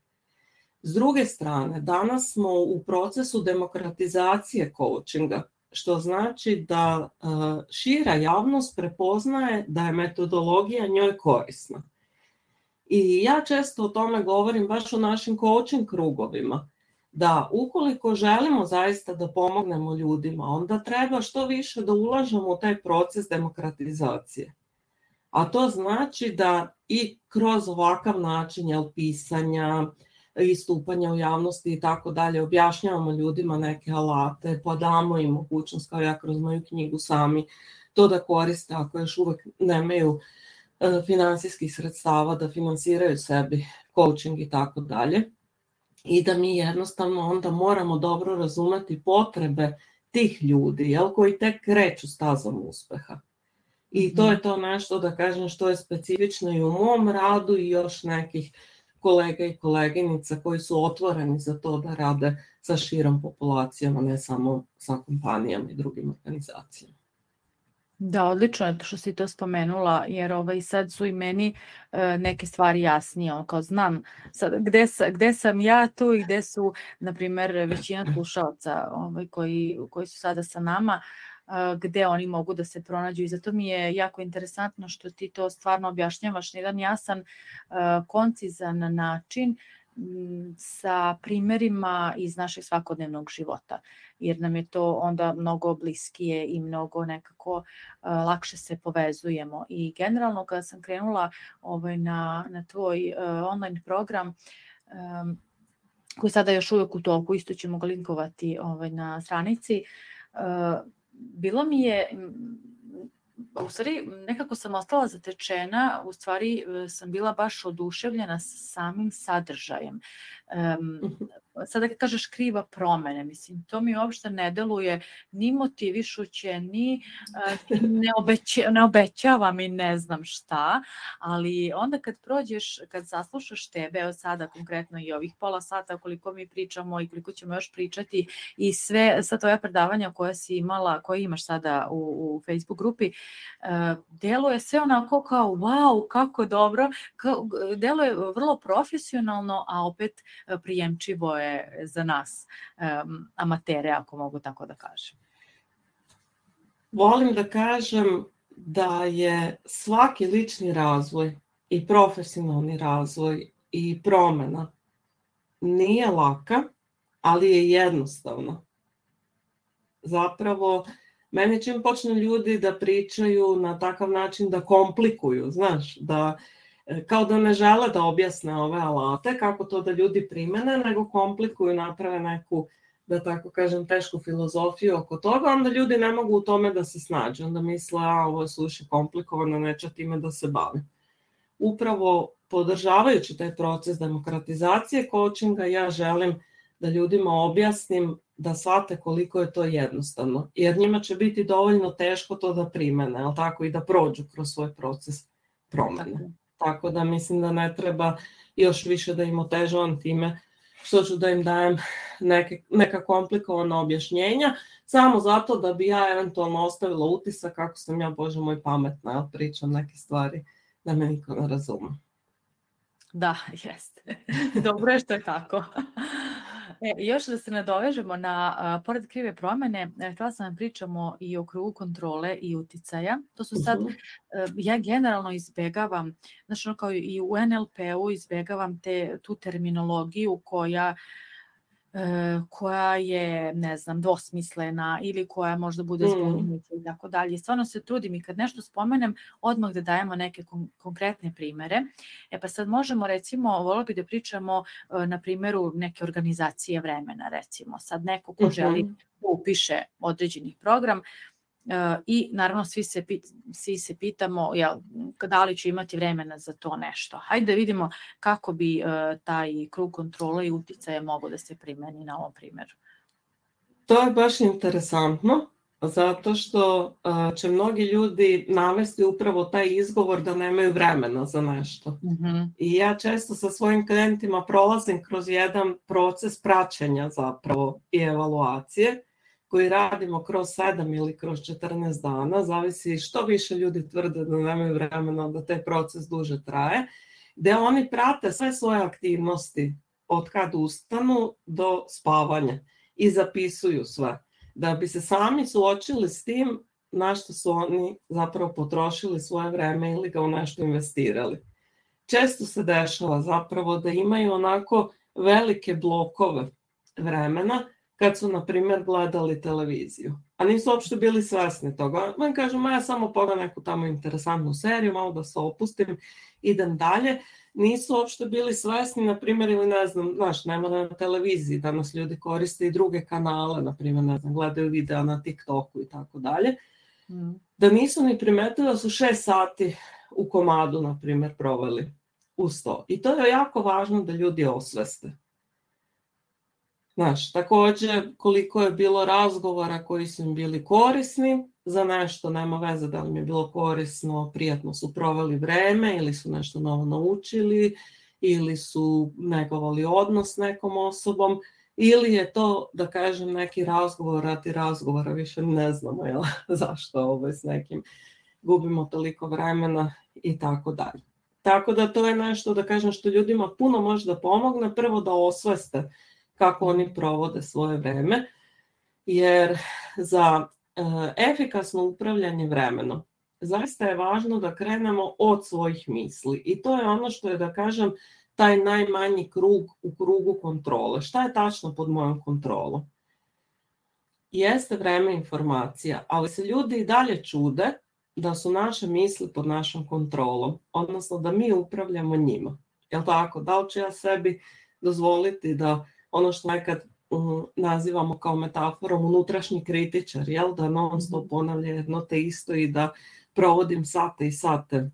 Speaker 2: S druge strane, danas smo u procesu demokratizacije coachinga, što znači da uh, šira javnost prepoznaje da je metodologija njoj korisna. I ja često o tome govorim baš u našim coaching krugovima, da ukoliko želimo zaista da pomognemo ljudima, onda treba što više da ulažemo u taj proces demokratizacije. A to znači da i kroz ovakav način jel, pisanja, istupanja u javnosti i tako dalje, objašnjavamo ljudima neke alate, pa damo im mogućnost, kao ja kroz moju knjigu sami, to da koriste ako još uvek nemaju finansijskih sredstava da finansiraju sebi coaching i tako dalje. I da mi jednostavno onda moramo dobro razumeti potrebe tih ljudi, jel, koji tek kreću stazom uspeha. I to je to nešto, da kažem, što je specifično i u mom radu i još nekih kolega i koleginica koji su otvoreni za to da rade sa širom populacijama, ne samo sa kompanijama i drugim organizacijama.
Speaker 1: Da, odlično je što si to spomenula, jer ovaj, sad su i meni e, neke stvari jasnije, ono, kao znam sad, gde, sa, gde sam ja tu i gde su, na primjer, većina slušalaca ovaj, koji, koji su sada sa nama, e, gde oni mogu da se pronađu i zato mi je jako interesantno što ti to stvarno objašnjavaš na jedan jasan, e, koncizan način, sa primjerima iz našeg svakodnevnog života, jer nam je to onda mnogo bliskije i mnogo nekako uh, lakše se povezujemo. I generalno kada sam krenula ovaj, na, na tvoj uh, online program, um, koji sada još uvijek u toku, isto ćemo ga linkovati ovaj, na stranici, uh, bilo mi je... U stvari, nekako sam ostala zatečena, u stvari sam bila baš oduševljena samim sadržajem. Um, sada kad kažeš kriva promene, mislim, to mi uopšte ne deluje ni motivišuće, ni uh, ne, obeća, ne obećava mi ne znam šta, ali onda kad prođeš, kad saslušaš tebe, evo sada konkretno i ovih pola sata koliko mi pričamo i koliko ćemo još pričati i sve, sa tvoja predavanja koja si imala, koje imaš sada u, u Facebook grupi, uh, deluje sve onako kao wow, kako dobro, kao, deluje vrlo profesionalno, a opet prijemčivo je za nas um, amatere, ako mogu tako da kažem.
Speaker 2: Volim da kažem da je svaki lični razvoj i profesionalni razvoj i promjena nije laka, ali je jednostavna. Zapravo, meni čim počnu ljudi da pričaju na takav način da komplikuju, znaš, da kao da ne žele da objasne ove alate, kako to da ljudi primene, nego komplikuju, naprave neku, da tako kažem, tešku filozofiju oko toga, onda ljudi ne mogu u tome da se snađu, onda misle, a ovo je suši komplikovano, neće time da se bavim. Upravo podržavajući taj proces demokratizacije coachinga, ja želim da ljudima objasnim da shvate koliko je to jednostavno, jer njima će biti dovoljno teško to da primene, ali tako i da prođu kroz svoj proces promene. Tako. Tako da mislim da ne treba još više da im otežavam time što ću da im dajem neke, neka komplikovana objašnjenja, samo zato da bi ja eventualno ostavila utisak kako sam ja, Bože moj, pametna, jel, pričam neke stvari da me niko ne razume.
Speaker 1: Da, jeste. Dobro je što je tako. E, još da se nadovežemo na, a, pored krive promjene, htjela sam da pričamo i o krugu kontrole i uticaja. To su sad, uh-huh. ja generalno izbegavam, znači ono kao i u en el pe-u izbegavam te, tu terminologiju koja koja je, ne znam, dvosmislena ili koja možda bude zbunjujuća i tako dalje. Stvarno se trudim i kad nešto spomenem, odmah da dajemo neke kon- konkretne primere. E pa sad možemo, recimo, volio bi da pričamo na primjeru neke organizacije vremena, recimo. Sad neko ko želi da upiše određeni program, Uh, i naravno svi se, pit, svi se pitamo jel, da li ću imati vremena za to nešto. Hajde da vidimo kako bi uh, taj krug kontrole i uticaja mogao da se primeni na ovom primjeru.
Speaker 2: To je baš interesantno, zato što uh, će mnogi ljudi navesti upravo taj izgovor da nemaju vremena za nešto. Mm-hmm. I ja često sa svojim klijentima prolazim kroz jedan proces praćenja zapravo i evaluacije, koji radimo kroz sedam ili kroz četrnaest dana, zavisi što više ljudi tvrde da nemaju vremena, da taj proces duže traje, gde oni prate sve svoje aktivnosti od kad ustanu do spavanja i zapisuju sve, da bi se sami suočili s tim na što su oni zapravo potrošili svoje vreme ili ga u nešto investirali. Često se dešava zapravo da imaju onako velike blokove vremena, kad su, na primjer, gledali televiziju. A nisu uopšte bili svesni toga. Man kažu, ma ja samo pogledam neku tamo interesantnu seriju, malo da se opustim, idem dalje. Nisu uopšte bili svesni, na primjer, ili ne znam, znaš, nema na televiziji, danas ljudi koriste i druge kanale, na primjer, ne znam, gledaju videa na TikToku i tako dalje. Da nisu ni primetili da su šest sati u komadu, na primjer, proveli uz to. I to je jako važno da ljudi osveste. Znaš, također koliko je bilo razgovora koji su im bili korisni, za nešto nema veze da li mi je bilo korisno, prijatno su proveli vreme ili su nešto novo naučili ili su negovali odnos s nekom osobom ili je to, da kažem, neki razgovor radi razgovora, više ne znamo jel, zašto ovaj, s nekim gubimo toliko vremena i tako dalje. Tako da to je nešto, da kažem, što ljudima puno može da pomogne, prvo da osveste kako oni provode svoje vreme, jer za e, efikasno upravljanje vremenom zaista je važno da krenemo od svojih misli i to je ono što je, da kažem, taj najmanji krug u krugu kontrole. Šta je tačno pod mojom kontrolom? Jeste vreme informacija, ali se ljudi i dalje čude da su naše misli pod našom kontrolom, odnosno da mi upravljamo njima. Jel tako? Da li ću ja sebi dozvoliti da ono što nekad um, nazivamo kao metaforom unutrašnji kritičar, jel? Da non stop ponavlja jedno te isto i da provodim sate i sate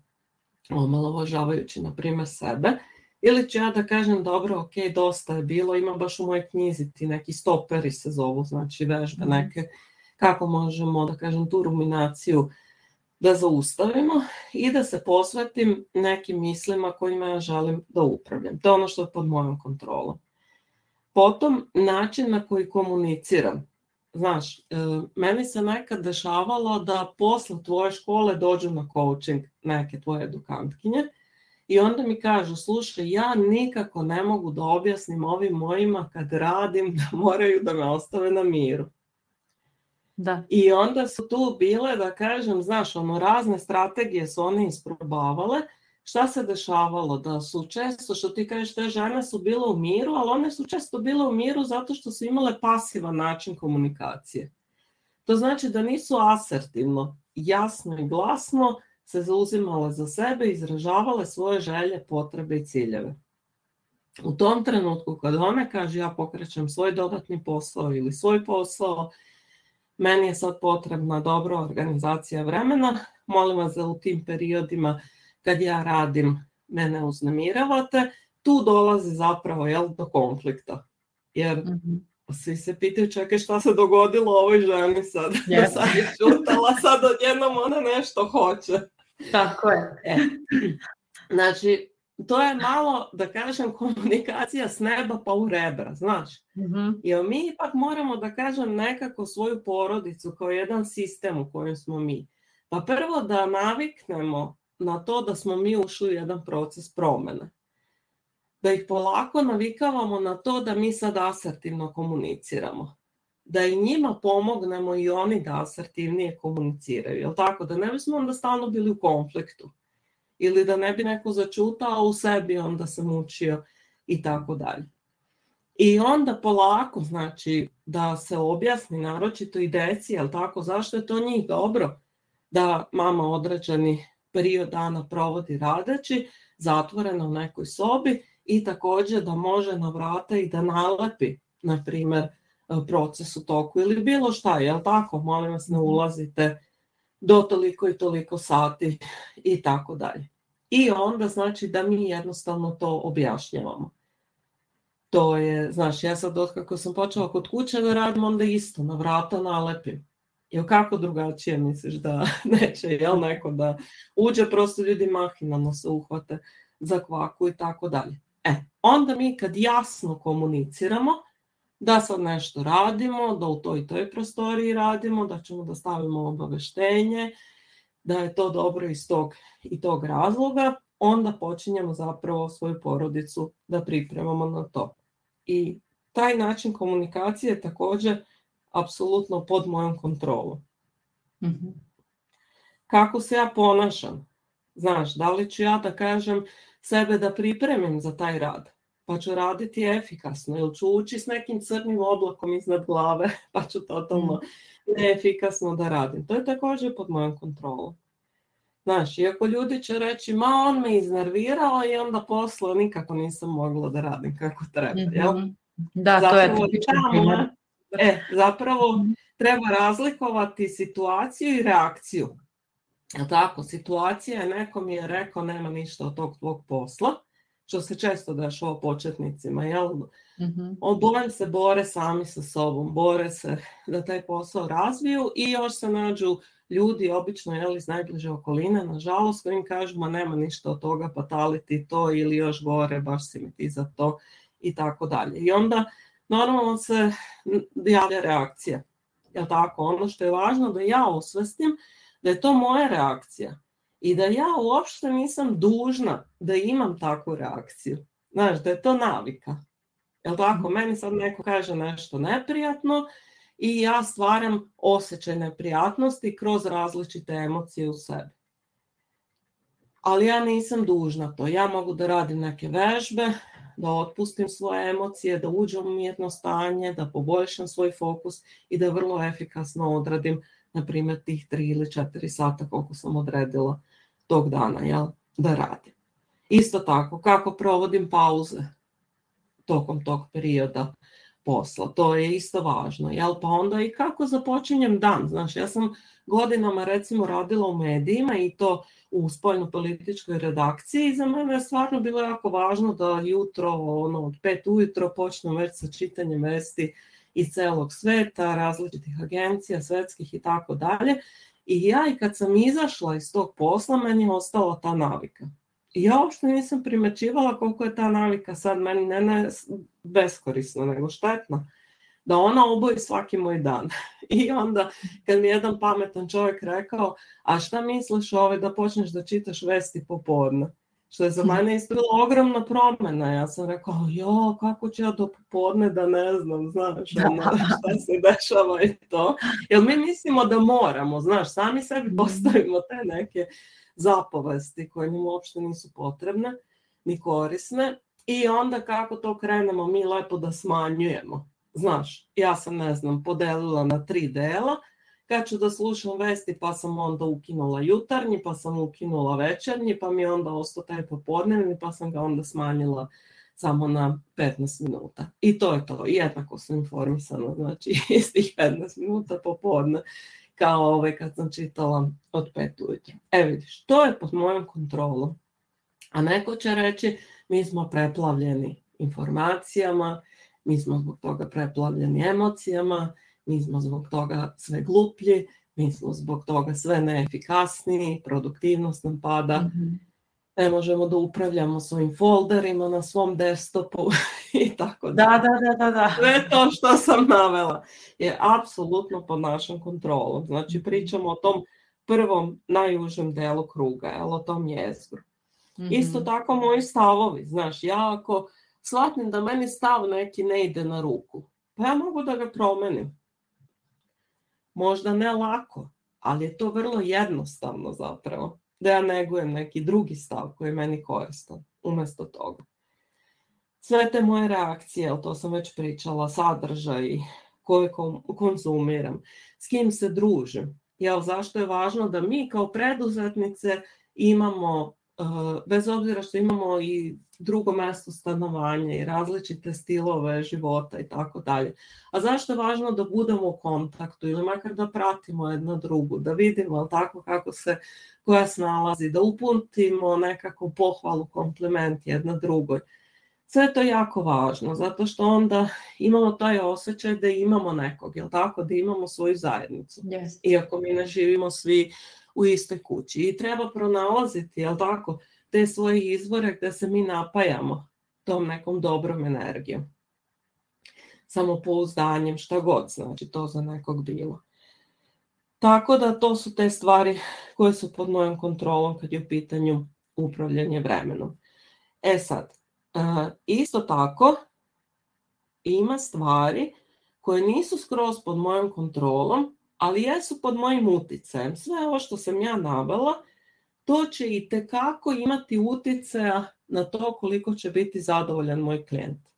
Speaker 2: omalovažavajući, na primjer, sebe. Ili ću ja da kažem, dobro, ok, dosta je bilo, ima baš u mojoj knjizi ti neki stoperi se zovu, znači vežbe neke, kako možemo, da kažem, tu ruminaciju da zaustavimo i da se posvetim nekim mislima kojima ja želim da upravljam. To je ono što je pod mojom kontrolom. Potom, način na koji komuniciram. Znaš, meni se nekad dešavalo da posle tvoje škole dođu na coaching neke tvoje edukantkinje i onda mi kažu, slušaj, ja nikako ne mogu da objasnim ovim mojima kad radim da moraju da me ostave na miru.
Speaker 1: Da.
Speaker 2: I onda su tu bile, da kažem, znaš, ono, razne strategije su one isprobavale. Šta se dešavalo? Da su često, što ti kažeš, te žene su bile u miru, ali one su često bile u miru zato što su imale pasivan način komunikacije. To znači da nisu asertivno, jasno i glasno se zauzimale za sebe, izražavale svoje želje, potrebe i ciljeve. U tom trenutku kad one kaže ja pokrećem svoj dodatni posao ili svoj posao, meni je sad potrebna dobra organizacija vremena, molim vas da u tim periodima kad ja radim mene uznemiravate, tu dolazi zapravo jel, do konflikta. Jer mm-hmm. svi se pitaju, čekaj šta se dogodilo ovoj ženi sad, yes. sad je čutala, sad odjednom ona nešto hoće.
Speaker 1: Tako je.
Speaker 2: E. Znači, to je malo, da kažem, komunikacija s neba pa u rebra, znaš. Mm-hmm. Jer mi ipak moramo, da kažem, nekako svoju porodicu kao jedan sistem u kojem smo mi. Pa prvo da naviknemo na to da smo mi ušli u jedan proces promjene. Da ih polako navikavamo na to da mi sad asertivno komuniciramo. Da i njima pomognemo i oni da asertivnije komuniciraju. Jel tako? Da ne bismo onda stalno bili u konfliktu. Ili da ne bi neko začutao u sebi, onda se mučio i tako dalje. I onda polako, znači, da se objasni naročito i deci, jel tako, zašto je to njih dobro da mama određeni period dana provodi radeći, zatvorena u nekoj sobi i također da može na vrata i da nalepi, na primjer, proces u toku ili bilo šta, jel tako, molim vas ne ulazite do toliko i toliko sati i tako dalje. I onda znači da mi jednostavno to objašnjavamo. To je, znaš, ja sad otkako sam počela kod kuće da radim, onda isto na vrata nalepim. Jel kako drugačije misliš da neće, jel neko da uđe, prosto ljudi mahinalno se uhvate za kvaku i tako dalje. E, onda mi kad jasno komuniciramo da sad nešto radimo, da u toj toj prostoriji radimo, da ćemo da stavimo obaveštenje, da je to dobro iz tog i tog razloga, onda počinjemo zapravo svoju porodicu da pripremamo na to. I taj način komunikacije je također apsolutno pod mojom kontrolom. Mm-hmm. Kako se ja ponašam? Znaš, da li ću ja da kažem sebe da pripremim za taj rad? Pa ću raditi efikasno, ili ću ući s nekim crnim oblakom iznad glave, pa ću totalno neefikasno da radim. To je također pod mojom kontrolom. Znaš, iako ljudi će reći, ma on me iznervirao i onda posle nikako nisam mogla da radim kako treba, jel?
Speaker 1: Mm-hmm. Da,
Speaker 2: zapravo,
Speaker 1: to je tipičan primjer.
Speaker 2: E, zapravo treba razlikovati situaciju i reakciju. tako, situacija je, neko mi je rekao nema ništa od tog tvog posla, što se često dešava početnicima, jel? Mm-hmm. Bojim se, bore sami sa sobom, bore se da taj posao razviju i još se nađu ljudi, obično jel, iz najbliže okoline, nažalost, koji im kažu, ma nema ništa od toga, pa tali ti to, ili još gore, baš si mi ti za to, i tako dalje. I onda normalno se javlja reakcija. Jel tako? Ono što je važno da ja osvestim da je to moja reakcija i da ja uopšte nisam dužna da imam takvu reakciju. Znaš, da je to navika. Jel tako? Meni sad neko kaže nešto neprijatno i ja stvaram osjećaj neprijatnosti kroz različite emocije u sebi. Ali ja nisam dužna to. Ja mogu da radim neke vežbe, da otpustim svoje emocije, da uđem u mirno stanje, da poboljšam svoj fokus i da vrlo efikasno odradim, na primjer, tih tri ili četiri sata koliko sam odredila tog dana, jel, da radim. Isto tako, kako provodim pauze tokom tog perioda posla, to je isto važno, jel, pa onda i kako započinjem dan. Znaš, ja sam godinama recimo radila u medijima i to u spoljno-političkoj redakciji i za mene je stvarno bilo jako važno da jutro, ono, od pet ujutro počnem već sa čitanjem vesti iz celog sveta, različitih agencija, svetskih i tako dalje. I ja i kad sam izašla iz tog posla, meni je ostala ta navika. I ja uopšte nisam primećivala koliko je ta navika sad meni ne, ne beskorisna, nego štetna. Da ona oboji svaki moj dan. I onda kad mi jedan pametan čovjek rekao, a šta misliš ove da počneš da čitaš vesti popodne? Što je za mene isto bila ogromna promjena. Ja sam rekao, jo, kako ću ja do popodne da ne znam, znaš, ono, šta se dešava i to. Jer mi mislimo da moramo, znaš, sami sebi postavimo te neke zapovesti koje nam uopšte nisu potrebne, ni korisne. I onda kako to krenemo mi lepo da smanjujemo. Znaš, ja sam, ne znam, podelila na tri dela, kad ću da slušam vesti, pa sam onda ukinula jutarnji, pa sam ukinula večernji, pa mi je onda ostao taj popodnevni, pa sam ga onda smanjila samo na petnaest minuta. I to je to, jednako sam informisana, znači istih petnaest minuta popodne, kao ovaj kad sam čitala od pet ujutro. E vidiš, to je pod mojom kontrolom. A neko će reći, mi smo preplavljeni informacijama, mi smo zbog toga preplavljeni emocijama, mi smo zbog toga sve gluplji, mi smo zbog toga sve neefikasniji, produktivnost nam pada, mm-hmm. ne možemo da upravljamo svojim folderima na svom desktopu i tako da.
Speaker 1: Da, da, da, da.
Speaker 2: Sve to što sam navela je apsolutno pod našom kontrolom. Znači pričamo o tom prvom najužem delu kruga, jel, o tom jezgru. Mm-hmm. Isto tako moji stavovi, znaš, ja ako shvatim da meni stav neki ne ide na ruku, pa ja mogu da ga promenim. Možda ne lako, ali je to vrlo jednostavno zapravo, da ja negujem neki drugi stav koji je meni koristan umjesto toga. Sve te moje reakcije, to sam već pričala, sadržaj, koje konzumiram, s kim se družim. Jel, zašto je važno da mi kao preduzetnice imamo, bez obzira što imamo i drugo mjesto stanovanja i različite stilove života i tako dalje. A zašto je važno da budemo u kontaktu ili makar da pratimo jedno drugu, da vidimo tako kako se koja snalazi, da uputimo nekako pohvalu, kompliment jedna drugoj. Sve to je jako važno, zato što onda imamo taj osjećaj da imamo nekog, jel tako, da imamo svoju zajednicu. Yes. Iako mi ne živimo svi u istoj kući. I treba pronalaziti, jel tako, te svoje izvore gdje se mi napajamo tom nekom dobrom energijom. Samopouzdanjem, šta god, znači to za nekog bilo. Tako da to su te stvari koje su pod mojom kontrolom kad je u pitanju upravljanje vremenom. E sad, isto tako ima stvari koje nisu skroz pod mojom kontrolom, ali jesu pod mojim uticajem. Sve ovo što sam ja navela, to će i tekako imati uticaja na to koliko će biti zadovoljan moj klijent.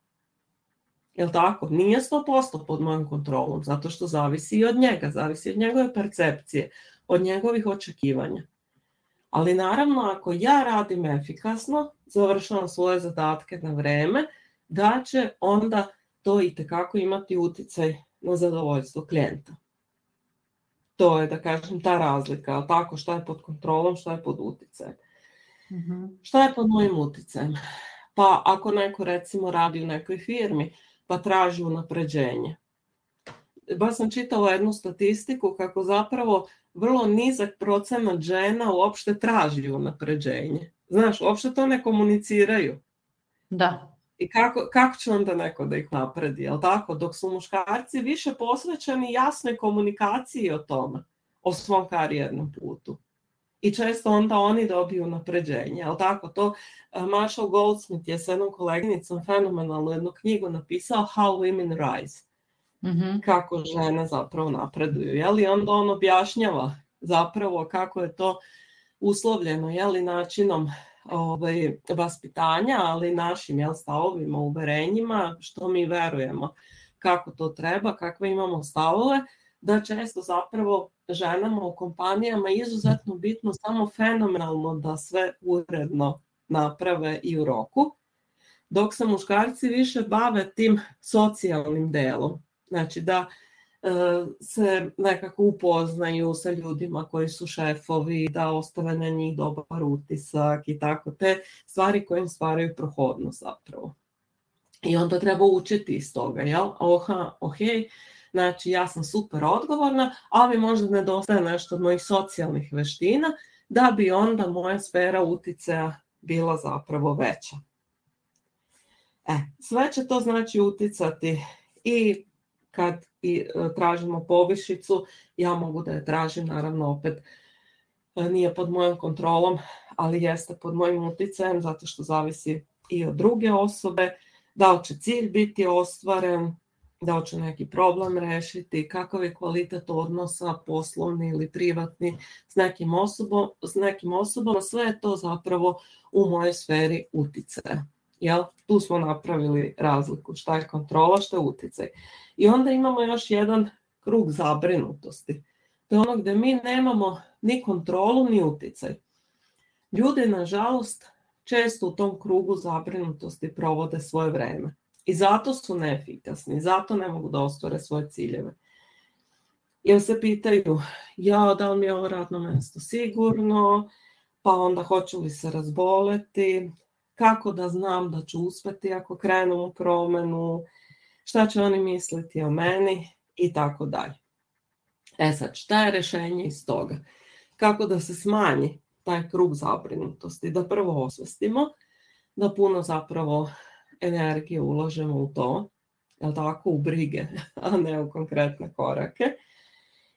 Speaker 2: Jel' tako? Nije sto posto pod mojom kontrolom, zato što zavisi i od njega, zavisi od njegove percepcije, od njegovih očekivanja. Ali naravno, ako ja radim efikasno, završavam svoje zadatke na vreme, da će onda to i tekako imati uticaj na zadovoljstvo klijenta. To je, da kažem, ta razlika, ali tako, šta je pod kontrolom, šta je pod utjecajem. Mm-hmm. Šta je pod mojim utjecajem? Pa ako neko recimo radi u nekoj firmi, pa traži unapređenje. Baš sam čitala jednu statistiku kako zapravo vrlo nizak procenat žena uopšte traži unapređenje. Znaš, uopšte to ne komuniciraju.
Speaker 1: Da.
Speaker 2: I kako, kako će onda neko da ih napredi, jel tako? Dok su muškarci više posvećeni jasnoj komunikaciji o tome, o svom karijernom putu. I često onda oni dobiju napređenje, jel tako? To Marshall Goldsmith je s jednom koleginicom fenomenalnu jednu knjigu napisao How Women Rise. Mm-hmm. Kako žene zapravo napreduju, jel? I onda on objašnjava zapravo kako je to uslovljeno, jel? Načinom ovaj, vaspitanja, ali našim, jel, stavovima, uverenjima, što mi verujemo, kako to treba, kakve imamo stavove, da često zapravo ženama u kompanijama je izuzetno bitno samo fenomenalno da sve uredno naprave i u roku, dok se muškarci više bave tim socijalnim delom. Znači da e, se nekako upoznaju sa ljudima koji su šefovi, da ostave na njih dobar utisak i tako, te stvari koje im stvaraju prohodnost zapravo. I onda treba učiti iz toga, jel? Oha, ohej, znači ja sam super odgovorna, ali možda nedostaje nešto od mojih socijalnih veština, da bi onda moja sfera uticaja bila zapravo veća. E, sve će to znači uticati i kad i tražimo povišicu, ja mogu da je tražim, naravno opet nije pod mojom kontrolom, ali jeste pod mojim uticajem, zato što zavisi i od druge osobe, da li će cilj biti ostvaren, da li će neki problem rešiti, kakav je kvalitet odnosa, poslovni ili privatni, s nekim osobom, s nekim osobama, sve je to zapravo u mojoj sferi uticaja. Jel? Tu smo napravili razliku, šta je kontrola, šta je uticaj. I onda imamo još jedan krug zabrinutosti. To je ono gdje mi nemamo ni kontrolu, ni uticaj. Ljudi, nažalost, često u tom krugu zabrinutosti provode svoje vreme. I zato su neefikasni, zato ne mogu da ostvare svoje ciljeve. Jer se pitaju, ja, da li mi je ovo radno mjesto sigurno, pa onda hoću li se razboleti, kako da znam da ću uspjeti ako krenem u promjenu, šta će oni misliti o meni i tako dalje. E sad, šta je rješenje iz toga? Kako da se smanji taj krug zabrinutosti? Da prvo osvestimo, da puno zapravo energije ulažemo u to, jel tako, u brige, a ne u konkretne korake.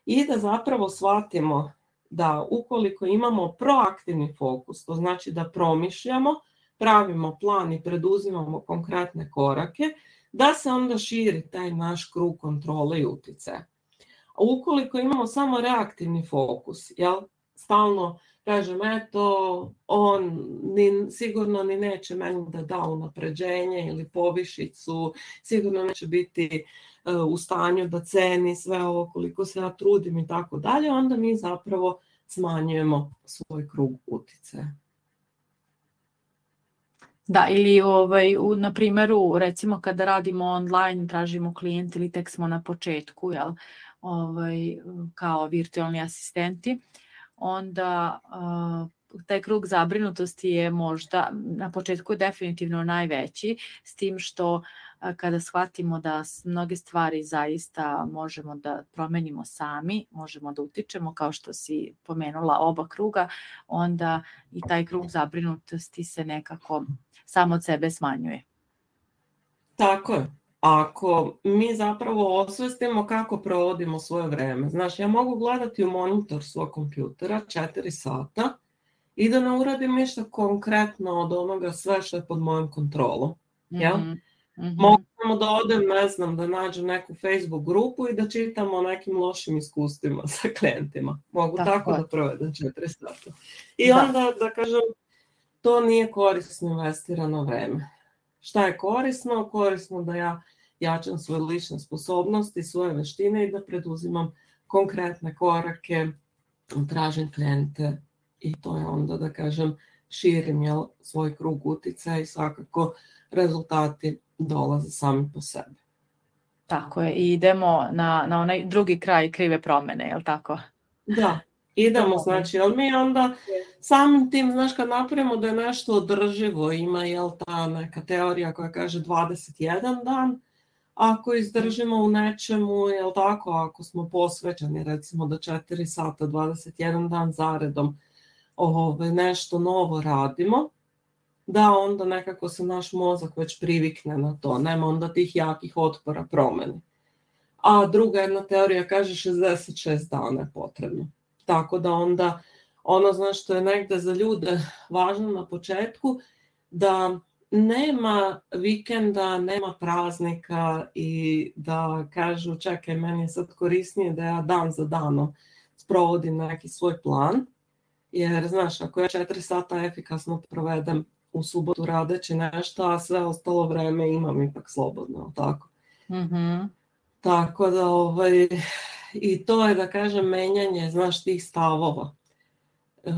Speaker 2: I da zapravo shvatimo da ukoliko imamo proaktivni fokus, to znači da promišljamo, pravimo plan i preduzimamo konkretne korake, da se onda širi taj naš krug kontrole i utjecaja. A ukoliko imamo samo reaktivni fokus, jel, stalno kažem, eto, on ni, sigurno ni neće meni da da unapređenje ili povišicu, sigurno neće biti uh, u stanju da ceni sve ovo koliko se ja trudim i tako dalje, onda mi zapravo smanjujemo svoj krug utjecaja.
Speaker 1: Da, ili ovaj, u, na primjeru, recimo kada radimo online, tražimo klijent ili tek smo na početku, jel, ovaj, kao virtualni asistenti, onda uh, taj krug zabrinutosti je možda na početku definitivno najveći, s tim što uh, kada shvatimo da mnoge stvari zaista možemo da promenimo sami, možemo da utičemo, kao što si pomenula oba kruga, onda i taj krug zabrinutosti se nekako sam od sebe smanjuje.
Speaker 2: Tako je. Ako mi zapravo osvestimo kako provodimo svoje vreme. Znaš, ja mogu gledati u monitor svog kompjutera četiri sata i da ne uradim ništa konkretno od onoga sve što je pod mojom kontrolom. Jel? Mm-hmm. Mm-hmm. Mogu da odem, ne znam, da nađem neku Facebook grupu i da čitam o nekim lošim iskustvima sa klijentima. Mogu tako, tako da provedem četiri sata. I da. Onda, da kažem, to nije korisno investirano vreme. Šta je korisno? Korisno da ja jačam svoje lične sposobnosti, svoje veštine i da preduzimam konkretne korake, tražim klijente i to je onda, da kažem, širim, jel, svoj krug uticaja i svakako rezultati dolaze sami po sebi.
Speaker 1: Tako je, i idemo na, na onaj drugi kraj krive promjene, jel tako?
Speaker 2: Da, idemo, znači, ali mi onda samim tim, znaš, kad napravimo da je nešto održivo, ima, jel, ta neka teorija koja kaže dvadeset jedan dan, ako izdržimo u nečemu, jel tako, ako smo posvećeni, recimo da četiri sata, dvadeset jedan dan zaredom ove, nešto novo radimo, da onda nekako se naš mozak već privikne na to, nema onda tih jakih otpora promeni. A druga jedna teorija kaže šezdeset šest dana je potrebno. Tako da onda ono, znaš, što je negde za ljude važno na početku, da nema vikenda, nema praznika i da kažu čekaj, meni je sad korisnije da ja dan za danom sprovodim neki svoj plan, jer znaš, ako ja četiri sata efikasno provedem u subotu radeći nešto, a sve ostalo vreme imam ipak slobodno, tako?
Speaker 1: Mm-hmm.
Speaker 2: Tako da, ovaj, i to je, da kažem, menjanje, znaš, tih stavova. E,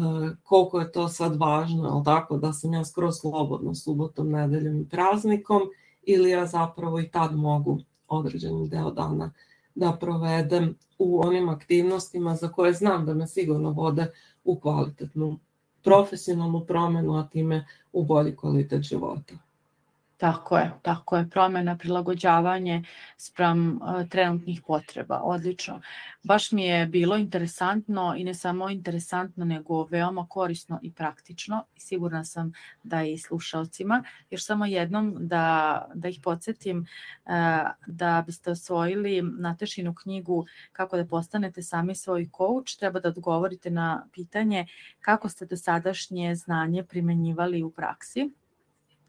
Speaker 2: koliko je to sad važno, ali tako, da sam ja skroz slobodno subotom, nedeljom i praznikom, ili ja zapravo i tad mogu određeni deo dana da provedem u onim aktivnostima za koje znam da me sigurno vode u kvalitetnu profesionalnu promjenu, a time u bolji kvalitet života.
Speaker 1: Tako je, tako je, promjena, prilagođavanje spram uh, trenutnih potreba, odlično. Baš mi je bilo interesantno i ne samo interesantno, nego veoma korisno i praktično i sigurna sam da i slušalcima. Još samo jednom da, da ih podsjetim uh, da biste osvojili Natašinu knjigu Kako da postanete sami svoj coach, treba da odgovorite na pitanje kako ste do sadašnje znanje primenjivali u praksi.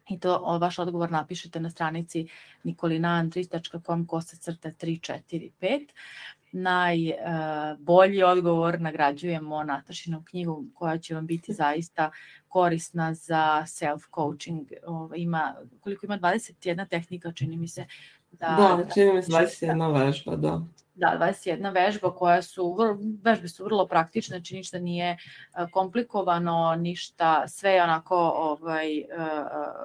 Speaker 1: I to vaš odgovor napišete na stranici nikolina andrić tačka com kosacrta tri četiri pet. Najbolji uh, odgovor nagrađujemo Natašinu knjigu koja će vam biti zaista korisna za self-coaching. Uh, ima, koliko ima dvadeset jedna tehnika, čini mi se.
Speaker 2: Da, da čini mi se dvadeset jedna vežba, da.
Speaker 1: Da, dvadeset jedna vežba koja su, vežbe su vrlo praktične, znači ništa nije komplikovano, ništa, sve onako ovaj,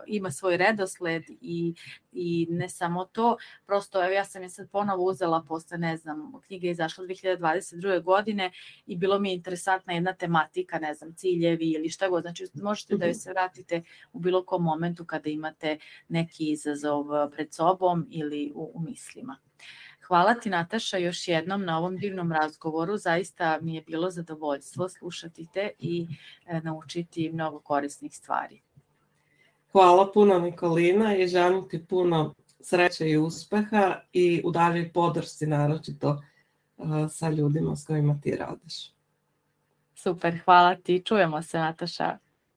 Speaker 1: ima svoj redosled i, i ne samo to, prosto evo ja sam je sad ponovo uzela posle, ne znam, knjiga je izašla dve hiljade dvadeset druge godine i bilo mi je interesantna jedna tematika, ne znam, ciljevi ili šta god, znači možete da joj se vratite u bilo kom momentu kada imate neki izazov pred sobom ili u, u mislima. Hvala ti, Nataša, još jednom na ovom divnom razgovoru. Zaista mi je bilo zadovoljstvo slušati te i e, naučiti mnogo korisnih stvari.
Speaker 2: Hvala puno, Nikolina, i želim ti puno sreće i uspeha i u daljoj podršci, naročito uh, sa ljudima s kojima ti radiš.
Speaker 1: Super, hvala ti. Čujemo se, Nataša.